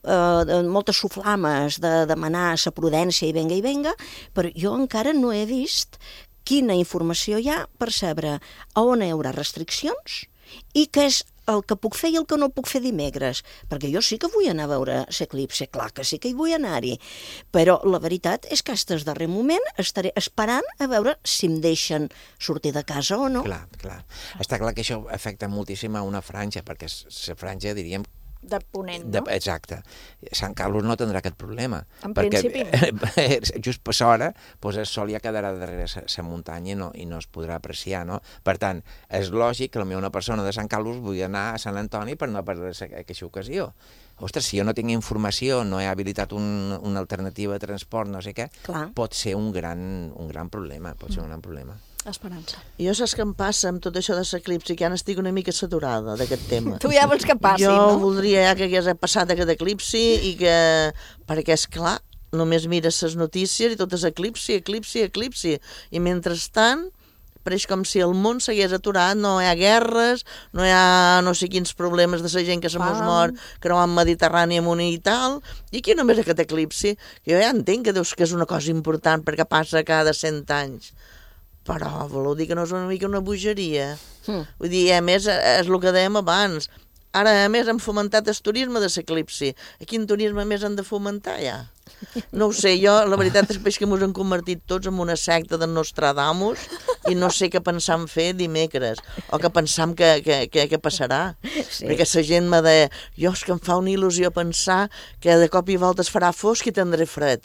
moltes soflames de demanar la prudència i venga, però jo encara no he vist quina informació hi ha per saber a on hi haurà restriccions i què és el que puc fer i el que no puc fer dimecres, perquè jo sí que vull anar a veure l'eclipsi, clar que sí que hi vull anar-hi, però la veritat és que fins al darrer moment estaré esperant a veure si em deixen sortir de casa o no. Clar. Està clar que això afecta moltíssim a una franja, perquè la franja, diríem, de ponent, no? Exacte. Sant Carlos no tindrà aquest problema. En principi no. Just per l'hora, el sol ja quedarà darrere la muntanya i no es podrà apreciar, no? Per tant, és lògic que potser una persona de Sant Carlos vulgui anar a Sant Antoni per no perdre aquesta ocasió. Ostres, si jo no tinc informació, no he habilitat una alternativa de transport, no sé què, pot ser un gran problema, Esperança. Jo saps què em passa amb tot això de l'eclipsi, que ja n'estic una mica saturada d'aquest tema. Tu ja vols que passi, no? Jo voldria ja que hagués passat aquest eclipsi i que... Perquè, és clar, només mires les notícies i tot és eclipsi. I mentrestant, pareix com si el món s'hagués aturat, no hi ha guerres, no hi ha no sé quins problemes de la gent que se mos mor creuant Mediterrani amunt i tal, i aquí només aquest eclipsi, que jo ja entenc que és una cosa important perquè passa cada 100 anys. Però voleu dir que no és una mica una bogeria? Vull dir, a més, és el que dèiem abans. Ara, a més, hem fomentat el turisme de l'eclipsi. Quin turisme més han de fomentar, ja? No ho sé, jo, la veritat és que ens han convertit tots en una secta de Nostradamus i no sé què pensam fer dimecres, o què pensam que passarà. Perquè la gent me deia, és que em fa una il·lusió pensar que de cop i volta es farà fosc i tindré fred.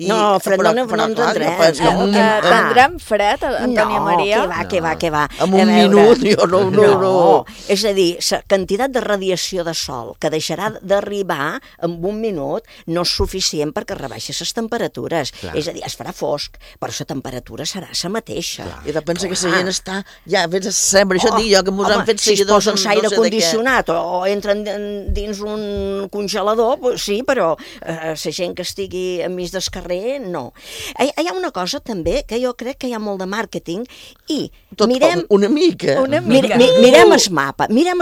No, fred no en tindrem. Tindrem fred, Antònia Maria? Que va. En un minut, jo no. És a dir, la quantitat de radiació de sol que deixarà d'arribar en un minut no és suficient perquè rebaixi les temperatures. És a dir, es farà fosc, però la temperatura serà la mateixa. I de pensar que la gent està... Ja, vés a saber, això dic jo, que ens han fet seguidors... Si es posen l'aire condicionat o entren dins un congelador, sí, però la gent que estigui enmig del carrer, no. Hi ha una cosa també que jo crec que hi ha molt de màrqueting i mirem... Una mica. Mirem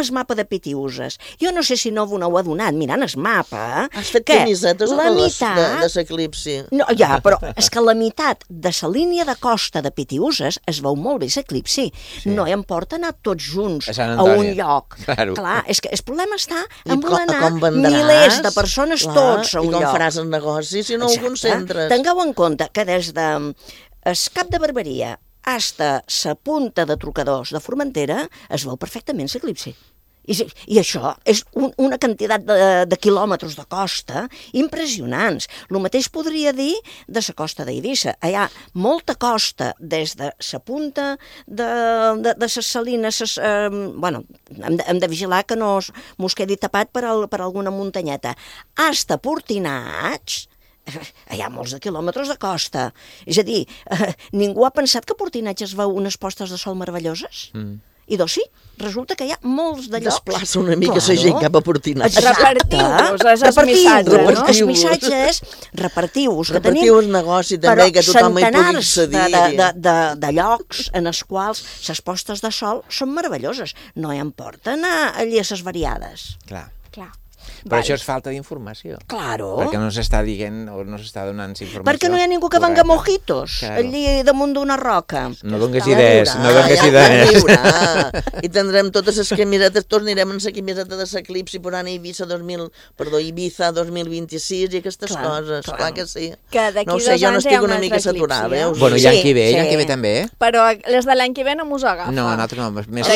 el mapa de Pitiuses. Jo no sé si no ho heu adonat, mirant el mapa, has fet camisetes la meitat de l'eclipsi. No, ja, però és que la meitat de la línia de costa de Pitiuses es veu molt bé l'eclipsi. No hi importa anar tots junts a un lloc. Claro. Clar, és que el problema està en voler anar milers de persones tots a un lloc. I com faràs el negoci si no ho concentres? Tingueu en compte que des de el Cap de Barberia hasta la punta de Trucadors de Formentera es veu perfectament l'eclipsi. I això és una quantitat de quilòmetres de costa impressionants. El mateix podria dir de la costa d'Eivissa. Hi ha molta costa des de la punta de les salines. Bueno, hem de vigilar que no mos quedi tapat per alguna muntanyeta. Hasta Portinats, hi ha molts de quilòmetres de costa. És a dir, ningú ha pensat que a Portinats es veu unes postes de sol meravelloses? I doncs sí, resulta que hi ha molts de llocs. Desplaça una mica la gent cap a Portinats. Repartiu-vos els missatges, no? Els missatges, repartiu-vos, que tenim repartiu el negoci també, que tothom hi pugui accedir. De llocs en els quals les postes de sol són meravelloses. No hi importa anar allí a les variades. Clar. Clar. Però això és falta d'informació. Claro. Perquè no s'està dient o no s'està donant informació. Perquè no hi ha ningú que venga mojitos allí damunt d'una roca. No dongues idees, no dongues idees. I tindrem totes les camisetes, tornarem en la camiseta de l'eclipsi per anar a Ibiza 2026 i aquestes coses. Clar que sí. No ho sé, jo n'estic una mica saturada. Bueno, i l'any que ve també. Però les de l'any que ve no mos agafen. No, nosaltres no, més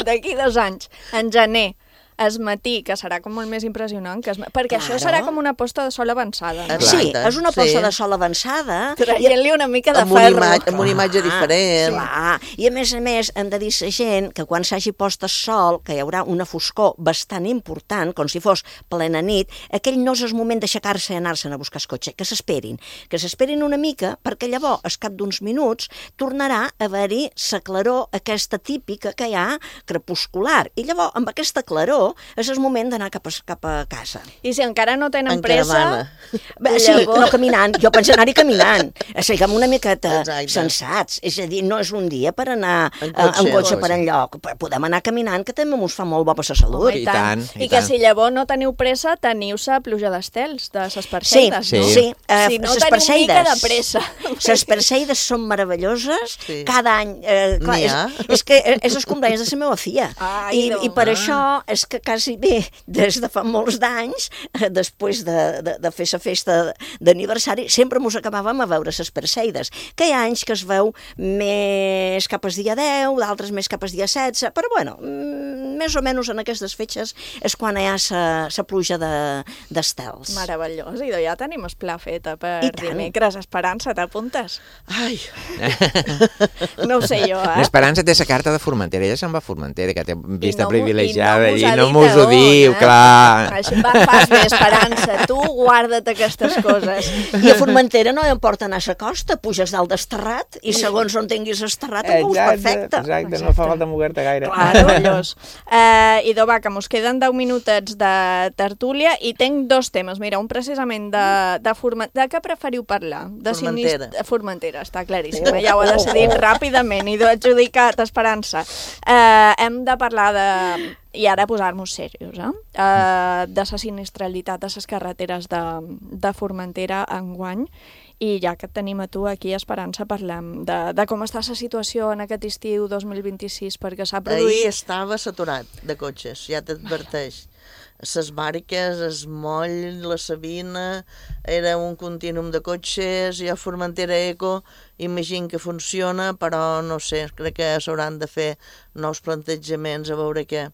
d'aquí 2 anys, en gener, es matí, que serà com molt més impressionant, perquè això serà com una posta de sol avançada. No? Sí, és una posta de sol avançada. Traient-li una mica de ferro. Amb una imatge diferent. Clar. I a més, hem de dir a la gent que quan s'hagi post el sol, que hi haurà una foscor bastant important, com si fos plena nit, aquell no és el moment d'aixecar-se i anar-se'n a buscar el cotxe, que s'esperin una mica, perquè llavors, al cap d'uns minuts, tornarà a haver-hi la claror aquesta típica que hi ha crepuscular. I llavors, amb aquesta claror, és el moment d'anar cap a casa. I si encara no tenen pressa... Sí, no caminant. Jo penso anar-hi caminant. Siguem una miqueta sensats. És a dir, no és un dia per anar en cotxe per enlloc. Podem anar caminant, que també ens fa molt bo per la salut. I tant. I que si llavors no teniu pressa, teniu-se pluja d'estels, de les Perseides, no? Sí. Si no teniu mica de pressa. Les Perseides són meravelloses. Cada any... És que és els cumpleaños de la meva filla. I per això és que quasi bé, des de fa molts d'anys, després de fer la festa d'aniversari, sempre mos acabàvem a veure les Perseides, que hi ha anys que es veu més cap al dia 10, d'altres més cap al dia 16, però bueno, més o menys en aquestes fetges és quan hi ha la pluja d'estels. Meravellós, i ja tenim el pla fet per dimecres. Esperança, t'apuntes? Ai! No ho sé jo, L'Esperança té la carta de Formentera, ella se'n va a Formentera, que té vista privilegiada allí, no mos ho diu, clar. Així fas bé, Esperança, tu guarda't aquestes coses. I a Formentera no hi importa anar a la costa, puges dalt d'esterrat i segons on tinguis esterrat ho veus perfecte. Exacte, no fa falta moure-te gaire. Meravellós. Idò, va, que mos queden 10 minutets de tertúlia i tinc 2 temes. Mira, un precisament de Formentera. De què preferiu parlar? Formentera. Formentera, està claríssim. Ja ho he decidit ràpidament. Idò, adjudicat, Esperança. Hem de parlar de... I ara posar-nos serios, de la sinistralitat de les carreteres de Formentera enguany. I ja que et tenim a tu aquí, Esperança, parlem de com està la situació en aquest estiu 2026, perquè s'ha produït... Ahir estava saturat de cotxes, ja t'adverteix. Les Bàriques, el Moll, la Sabina, era un contínuum de cotxes, i a Formentera Eco imagino que funciona, però no sé, crec que s'hauran de fer nous plantejaments a veure què.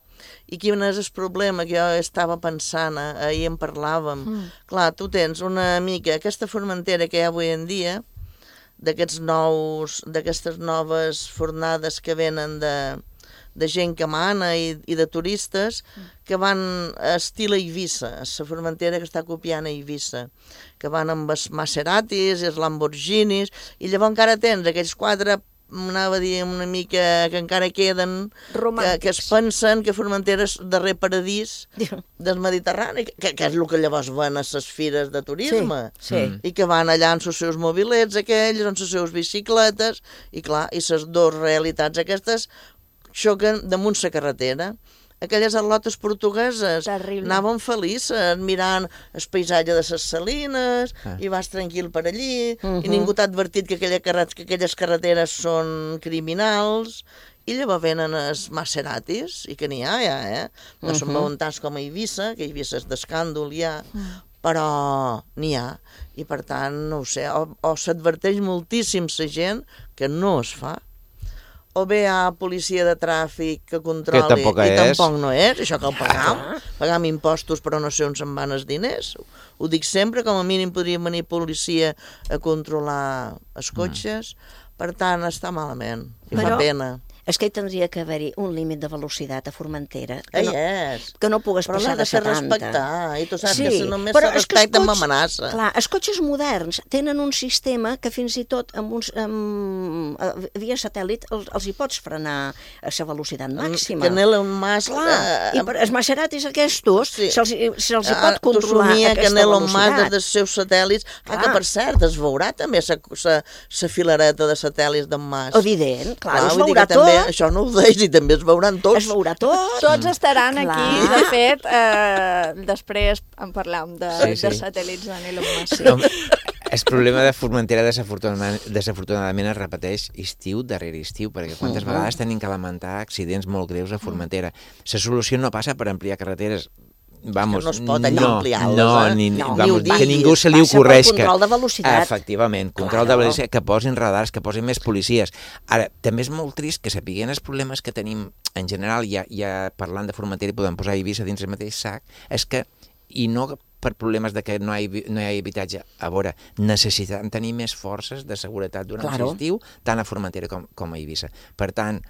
I quin és el problema que jo estava pensant, ahir en parlàvem. Clar, tu tens una mica aquesta Formentera que hi ha avui en dia, d'aquestes noves fornades que venen de gent que mana i de turistes que van a estil a Eivissa, a la Formentera que està copiant a Eivissa, que van amb els Maseratis i els Lamborghinis, i llavors encara tens aquells 4, anava a dir una mica que encara queden, que es pensen que Formentera és el darrer paradís del Mediterrani, que és el que llavors van a les fires de turisme, i que van allà amb els seus mobilets aquells, amb les seves bicicletes, i clar, i les dues realitats aquestes xoquen damunt la carretera. aquelles atlotes portugueses. Terrible. Anàvem felices, mirant el paisatge de les Salines, i vas tranquil per allí, i ningú t'ha advertit que aquelles carreteres són criminals, i llavors venen els Maseratis, i que n'hi ha ja, no són veuen tants com a Eivissa, que Eivissa és d'escàndol ja, però n'hi ha, i per tant, no ho sé, o s'adverteix moltíssim la gent que no es fa, o bé hi ha policia de tràfic que controli, i tampoc no és, això cal pagar, pagam impostos però no sé on se'n van els diners, ho dic sempre, com a mínim podria venir policia a controlar els cotxes, per tant està malament, i fa pena. És que hi tindria que haver-hi un límit de velocitat a Formentera. Que no pugues passar de 70. Però l'ha de respectar, i tu saps que si només se respecta amb amenaça. Clar, els cotxes moderns tenen un sistema que fins i tot via satèl·lit els hi pots frenar a la velocitat màxima. Que Elon Musk... I els Maseratis aquests se'ls hi pot controlar aquesta velocitat. Que Elon Musk des dels seus satèl·lits... que per cert, es veurà també la filareta de satèl·lits d'en Musk. Evident, clar, es veurà tot. Això no ho deix i també es veuran tots. Es veurà tot. Tots estaran aquí, de fet, després en parlam de satèl·lits de Elon Musk. El problema de Formentera desafortunadament es repeteix estiu darrere estiu, perquè quantes vegades tenim que lamentar accidents molt greus a Formentera. La solució no passa per ampliar carreteres. Vamos, no es pot allà ampliar-les, que ningú se li ocorreix que... Control de velocitat. Efectivament, control de velocitat, que posin radars, que posin més policies. Ara, també és molt trist que sapiguem els problemes que tenim en general, ja parlant de Formentera i podem posar Eivissa dins el mateix sac, és que, i no per problemes de que no hi ha habitatge, a veure, necessitem tenir més forces de seguretat durant l'estiu, tant a Formentera com a Eivissa. Per tant,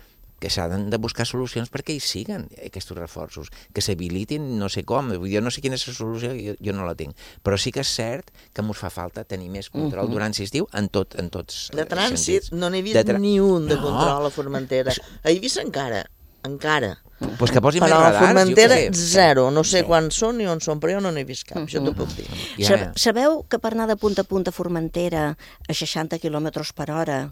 que s'han de buscar solucions perquè hi siguen aquests reforços, que s'habilitin no sé com, jo no sé quina és la solució, jo no la tinc, però sí que és cert que ens fa falta tenir més control durant l'estiu en tots sentits. De trànsit no n'he vist ni un de control a Formentera. A Eivissa encara. Pues que posin més radars, però a Formentera zero, no sé quants són ni on són, però jo no n'he vist cap, això t'ho puc dir. Sabeu que per anar de punta a punta a Formentera a 60 km per hora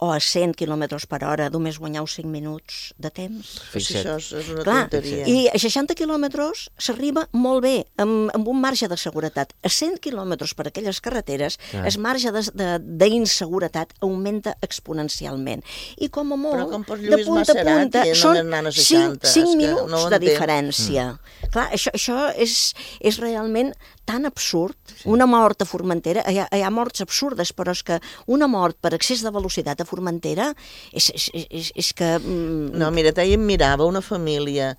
o a 100 km per hora només guanyeu 5 minuts de temps? Això és una tonteria. I a 60 quilòmetres s'arriba molt bé, amb un marge de seguretat. A 100 quilòmetres per aquelles carreteres, el marge d'inseguretat augmenta exponencialment. I com a molt, de punta a punta, són 5 minuts de diferència. Clar, això és realment tan absurd. Una mort a Formentera, hi ha morts absurdes, però és que una mort per excés de velocitat a Formentera és que... No, mira, ahir em mirava una família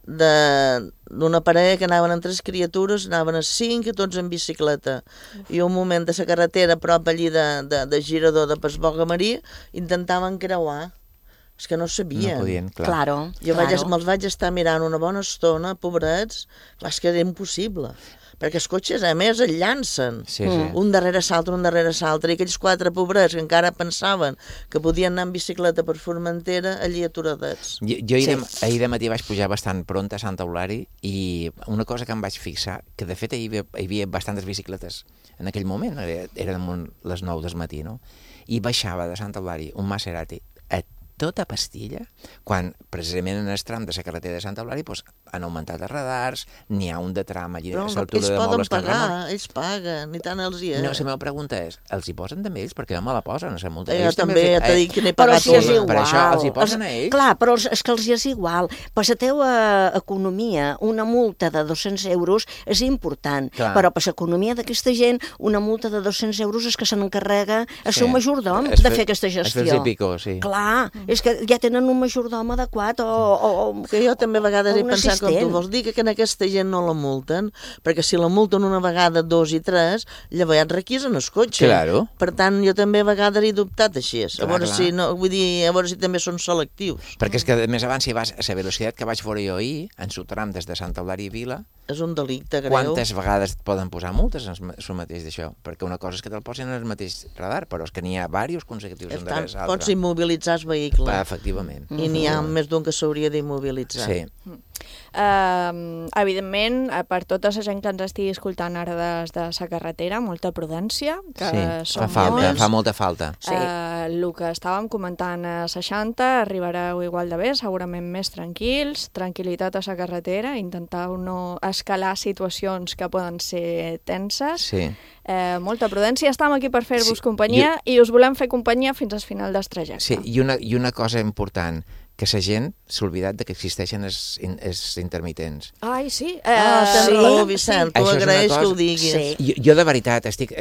d'una parella que anaven amb 3 criatures, anaven a 5 i tots en bicicleta. I un moment de la carretera, a prop allí de Girador de Pasboga Maria, intentaven creuar. És que no sabien. No podien, clar. Me'ls vaig estar mirant una bona estona, pobrets, és que era impossible. Perquè els cotxes, a més, es llancen. Un darrere l'altre, i aquells 4 pobrets que encara pensaven que podien anar en bicicleta per Formentera, allí aturadets. Jo ahir de matí vaig pujar bastant pront a Sant Eulari i una cosa que em vaig fixar, que de fet hi havia bastantes bicicletes en aquell moment, eren les 9 del matí, no? I baixava de Sant Eulari un Maserati a tota pastilla, quan precisament en el tram de la carretera de Sant Eulari han augmentat els radars, n'hi ha un de tram allí a l'altura de Mobles que ells paguen, i tant els hi és. No, la meva pregunta és, els hi posen també ells? Perquè no me la posen, la multa. Jo també t'he dit que n'he pagat una. Per això els hi posen a ells? Clar, però és que els hi és igual. Per la teva economia, una multa de 200 euros és important, però per l'economia d'aquesta gent, una multa de 200 euros és que se n'encarrega el seu majordom de fer aquesta gestió. Es fer i pico, sí. Clar, és que ja tenen un majordom adequat que jo també a vegades he pensat com tu vols dir que aquesta gent no la multen, perquè si la multen una vegada, 2 i 3, llavors ja et requisen el cotxe. Claro. Per tant, jo també a vegades he dubtat així. A veure si també són selectius. Perquè és que més abans, si vas a la velocitat que vaig veure jo ahir, en el tram des de Sant Eulari i Vila, és un delicte greu. Quantes vegades et poden posar multes en el mateix d'això? Perquè una cosa és que te'l posin en el mateix radar, però és que n'hi ha diversos consecutius un darrere l'altre. Pots immobilitzar el vehicle. Efectivament. I n'hi ha més d'un que s'hauria d'immobilitzar. Sí. Evidentment, per tota la gent que ens estigui escoltant ara des de la carretera, molta prudència, que són molts. Fa molta falta. El que estàvem comentant a 60, arribareu igual de bé, segurament més tranquils, tranquil·litat a la carretera, intentar no escalar situacions que poden ser tenses. Sí. Molta prudència, estem aquí per fer-vos companyia i us volem fer companyia fins al final del trajecte. Sí, i una cosa important, que la gent s'ha oblidat que existeixen els intermitents. Ai, sí. Tens raó, Vicent, t'ho agraeix que ho diguis. Jo de veritat estic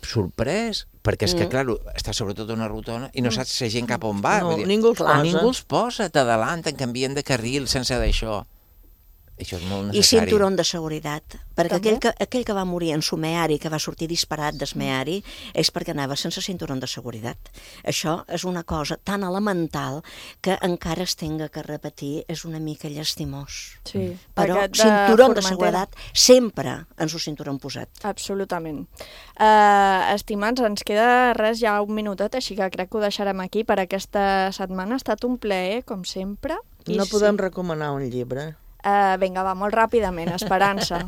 sorprès, perquè és que, clar, està sobretot una rotona i no saps la gent cap on va. No, ningú els posa. Ningú els posa, t'adalanten, canvien de carril sense d'això. Això és molt necessari. I cinturó de seguretat, perquè aquell que va morir en Sumeari, que va sortir disparat d'Esmeari, és perquè anava sense cinturó de seguretat. Això és una cosa tan elemental que encara es tenga que repetir, és una mica llastimós. Sí. Però cinturó de seguretat sempre ens ho cinturó posat. Absolutament. Estimats, ens queda res ja un minutet, així que crec que ho deixarem aquí per aquesta setmana. Ha estat un plaer, com sempre. No podem recomanar un llibre? Vinga, va, molt ràpidament, Esperança.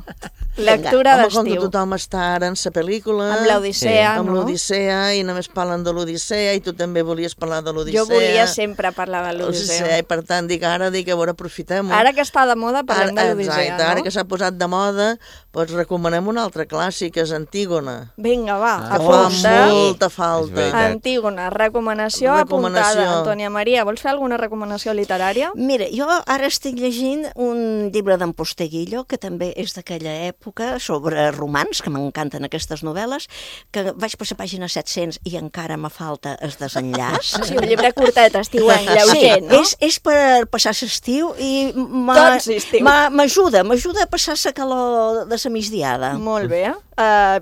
Lectura d'estiu. Com que tothom està ara en la pel·lícula... Amb l'Odissea, no? Amb l'Odissea, i només parlen de l'Odissea, i tu també volies parlar de l'Odissea. Jo volia sempre parlar de l'Odissea. I per tant, ara a veure, aprofitem-ho. Ara que està de moda, parlem de l'Odissea, no? Ara que s'ha posat de moda, doncs recomanem un altre clàssic, és Antígona. Vinga, va, que fa molta falta. Antígona, recomanació apuntada. Antònia Maria, vols fer alguna recomanació literària? Mira, jo ara estic llegint un llibre d'en Posteguillo, que també és d'aquella època, sobre romans, que m'encanten aquestes novel·les, que vaig per la pàgina 700 i encara me falta el desenllaç. Sí, un llibre curtet, estiuenc, lleuger, no? És per passar l'estiu i m'ajuda a passar la calor de la migdiada. Molt bé.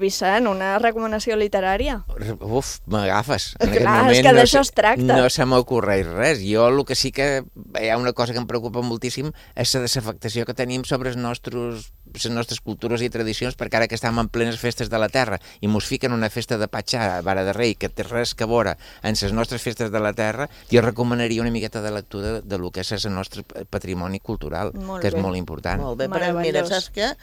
Vicent, una recomanació literària? Uf, m'agafes. Clar, és que d'això es tracta. No se m'ocorreix res. Jo el que sí que hi ha una cosa que em preocupa moltíssim és la desafectació que tenim sobre les nostres cultures i tradicions, perquè ara que estem en plenes festes de la terra i mos fiquen una festa de Patxà, Vara de Rei, que té res que veure en les nostres festes de la terra, jo recomanaria una miqueta de lectura de lo que és el nostre patrimoni cultural, que és molt important. Molt bé, però mira, saps què?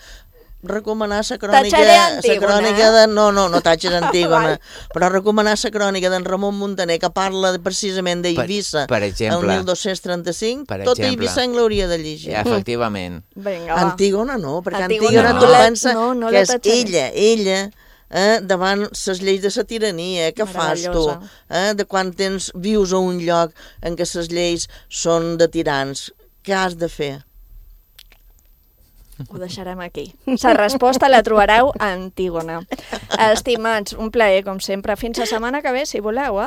Recomanar la crònica de... No tatxes Antígona, però recomanar la crònica d'en Ramon Muntaner, que parla precisament d'Eivissa, el 1235, tota Eivissa l'hauria de llegir. Efectivament. Antígona no, perquè Antígona tu pensa que és ella, davant les lleis de la tirania, què fas tu? De quan vius a un lloc en què les lleis són de tirans, què has de fer? Ho deixarem aquí. La resposta la trobareu a Antígona. Estimats, un plaer, com sempre. Fins la setmana que ve, si voleu,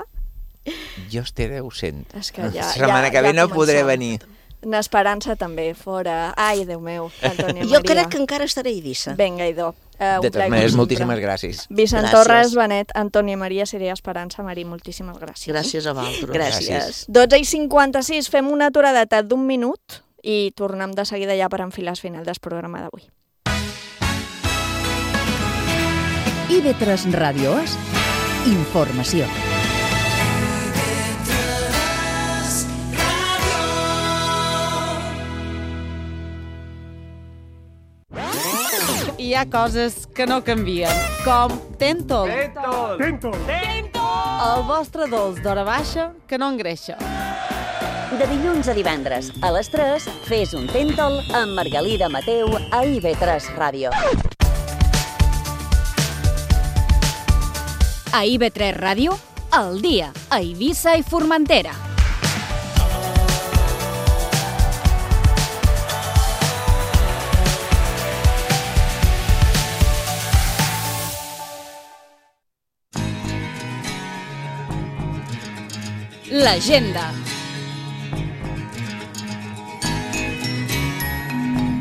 Jo estaré ausent. És que ja... La setmana que ve no podré venir. N'Esperança també, fora. Ai, Déu meu, Antònia Maria. Jo crec que encara estaré a Eivissa. Vinga, idò. De totes maneres, moltíssimes gràcies. Vicent Torres, Benet, Antònia Maria, Siria Esperança, Marí, moltíssimes gràcies. Gràcies a vosaltres. Gràcies. 12:56, fem una aturadeta d'1 minut i tornem de seguida ja per enfilar el final del programa d'avui. IB3 Ràdio és informació. Hi ha coses que no canvien, com Tentol. Tentol. El vostre dolç d'hora baixa que no engreixa. De dilluns a divendres, a les 3, fes un Tentol amb Margalida Mateu a IB3 Ràdio. A IB3 Ràdio, al dia, a Eivissa i Formentera. L'agenda.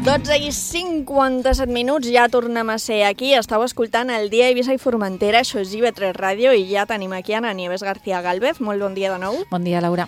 12:57, ja tornem a ser aquí. Estàu escoltant el Dia Eivissa i Formentera, això és IB3 Ràdio, i ja tenim aquí Ana Nieves García Gálvez. Molt bon dia de nou. Bon dia, Laura.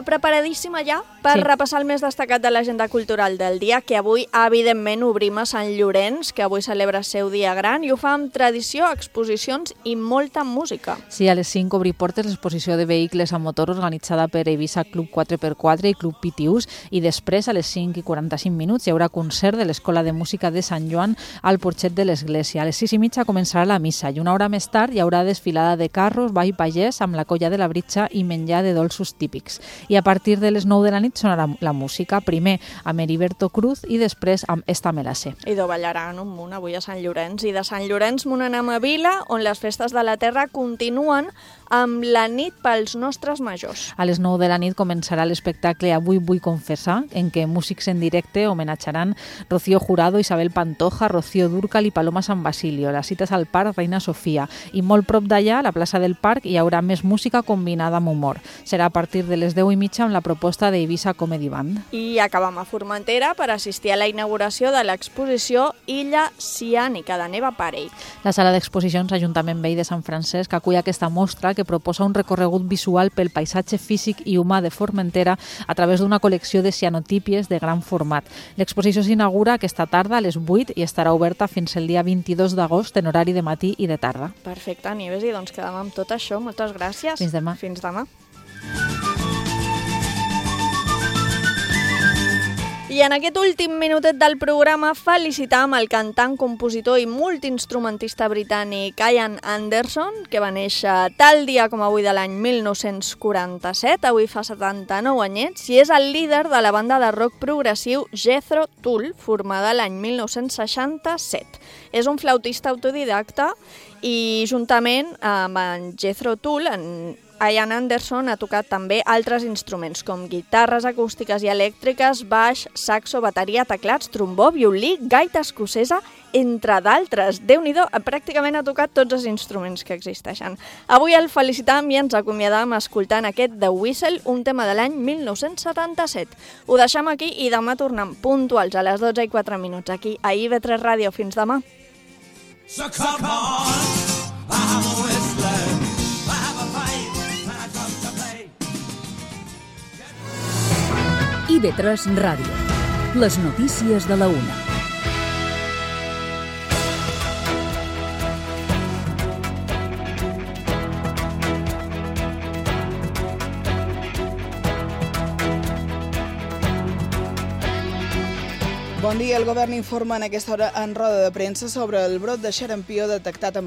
Preparadíssima ja per repassar el més destacat de l'agenda cultural del dia, que avui, evidentment, obrim a Sant Llorenç, que avui celebra el seu dia gran, i ho fa amb tradició, exposicions i molta música. Sí, a les 5 obri portes l'exposició de vehicles a motor organitzada per Eivissa Club 4x4 i Club Pitiús, i després, a les 5:45, hi haurà concert de l'Escola de Música de Sant Joan al porxet de l'església. A les 6:30 començarà la missa i una hora més tard hi haurà desfilada de carros, ball pagès amb la colla de la Britxa i menjar de dolços típics. I a partir de les 9 de la nit sonarà la música, primer amb Heriberto Cruz i després amb Esta me la sé. I ballaran un munt avui a Sant Llorenç. I de Sant Llorenç m'ho anem a Vila, on les festes de la terra continuen amb la nit pels nostres majors. A les 9 de la nit començarà l'espectacle Avui vull confessar, en què músics en directe homenatjaran Rocío Jurado, Isabel Pantoja, Rocío Dúrcal i Paloma San Basilio. La cita és al Parc Reina Sofia. I molt prop d'allà, a la plaça del Parc, hi haurà més música combinada amb humor. Serà a partir de les 10:30 amb la proposta d'Eivissa Comedy Band. I acabam a Formentera per assistir a la inauguració de l'exposició Illa Ciànica de Neva Parell. La sala d'exposicions Ajuntament Vell de Sant Francesc acull aquesta mostra que proposa un recorregut visual pel paisatge físic i humà de Formentera a través d'una col·lecció de cianotípies de gran format. L'exposició s'inaugura aquesta tarda a les 8 i estarà oberta fins el dia 22 d'agost en horari de matí i de tarda. Perfecte, Nieves, i doncs quedem amb tot això. Moltes gràcies. Fins demà. Fins demà. I en aquest últim minutet del programa felicitam el cantant, compositor i multiinstrumentista britànic Ian Anderson, que va néixer tal dia com avui de l'any 1947, avui fa 79 anyets, i és el líder de la banda de rock progressiu Jethro Tull, formada l'any 1967. És un flautista autodidacta i juntament amb en Jethro Tull, Ian Anderson ha tocat també altres instruments com guitarres acústiques i elèctriques, baix, saxo, bateria, teclats, trombó, violí, gaita escocesa, entre d'altres. Déu-n'hi-do, pràcticament ha tocat tots els instruments que existeixen. Avui el felicitam i ens acomiadam escoltant aquest The Whistle, un tema de l'any 1977. Ho deixem aquí i demà tornem puntuals a les 12:04 aquí a IB3 Ràdio. Fins demà. So come on, I'm a whistler. IB3 Ràdio. Les notícies de la 1. Bon dia. El govern informa en aquesta hora en roda de premsa sobre el brot de xarampió detectat a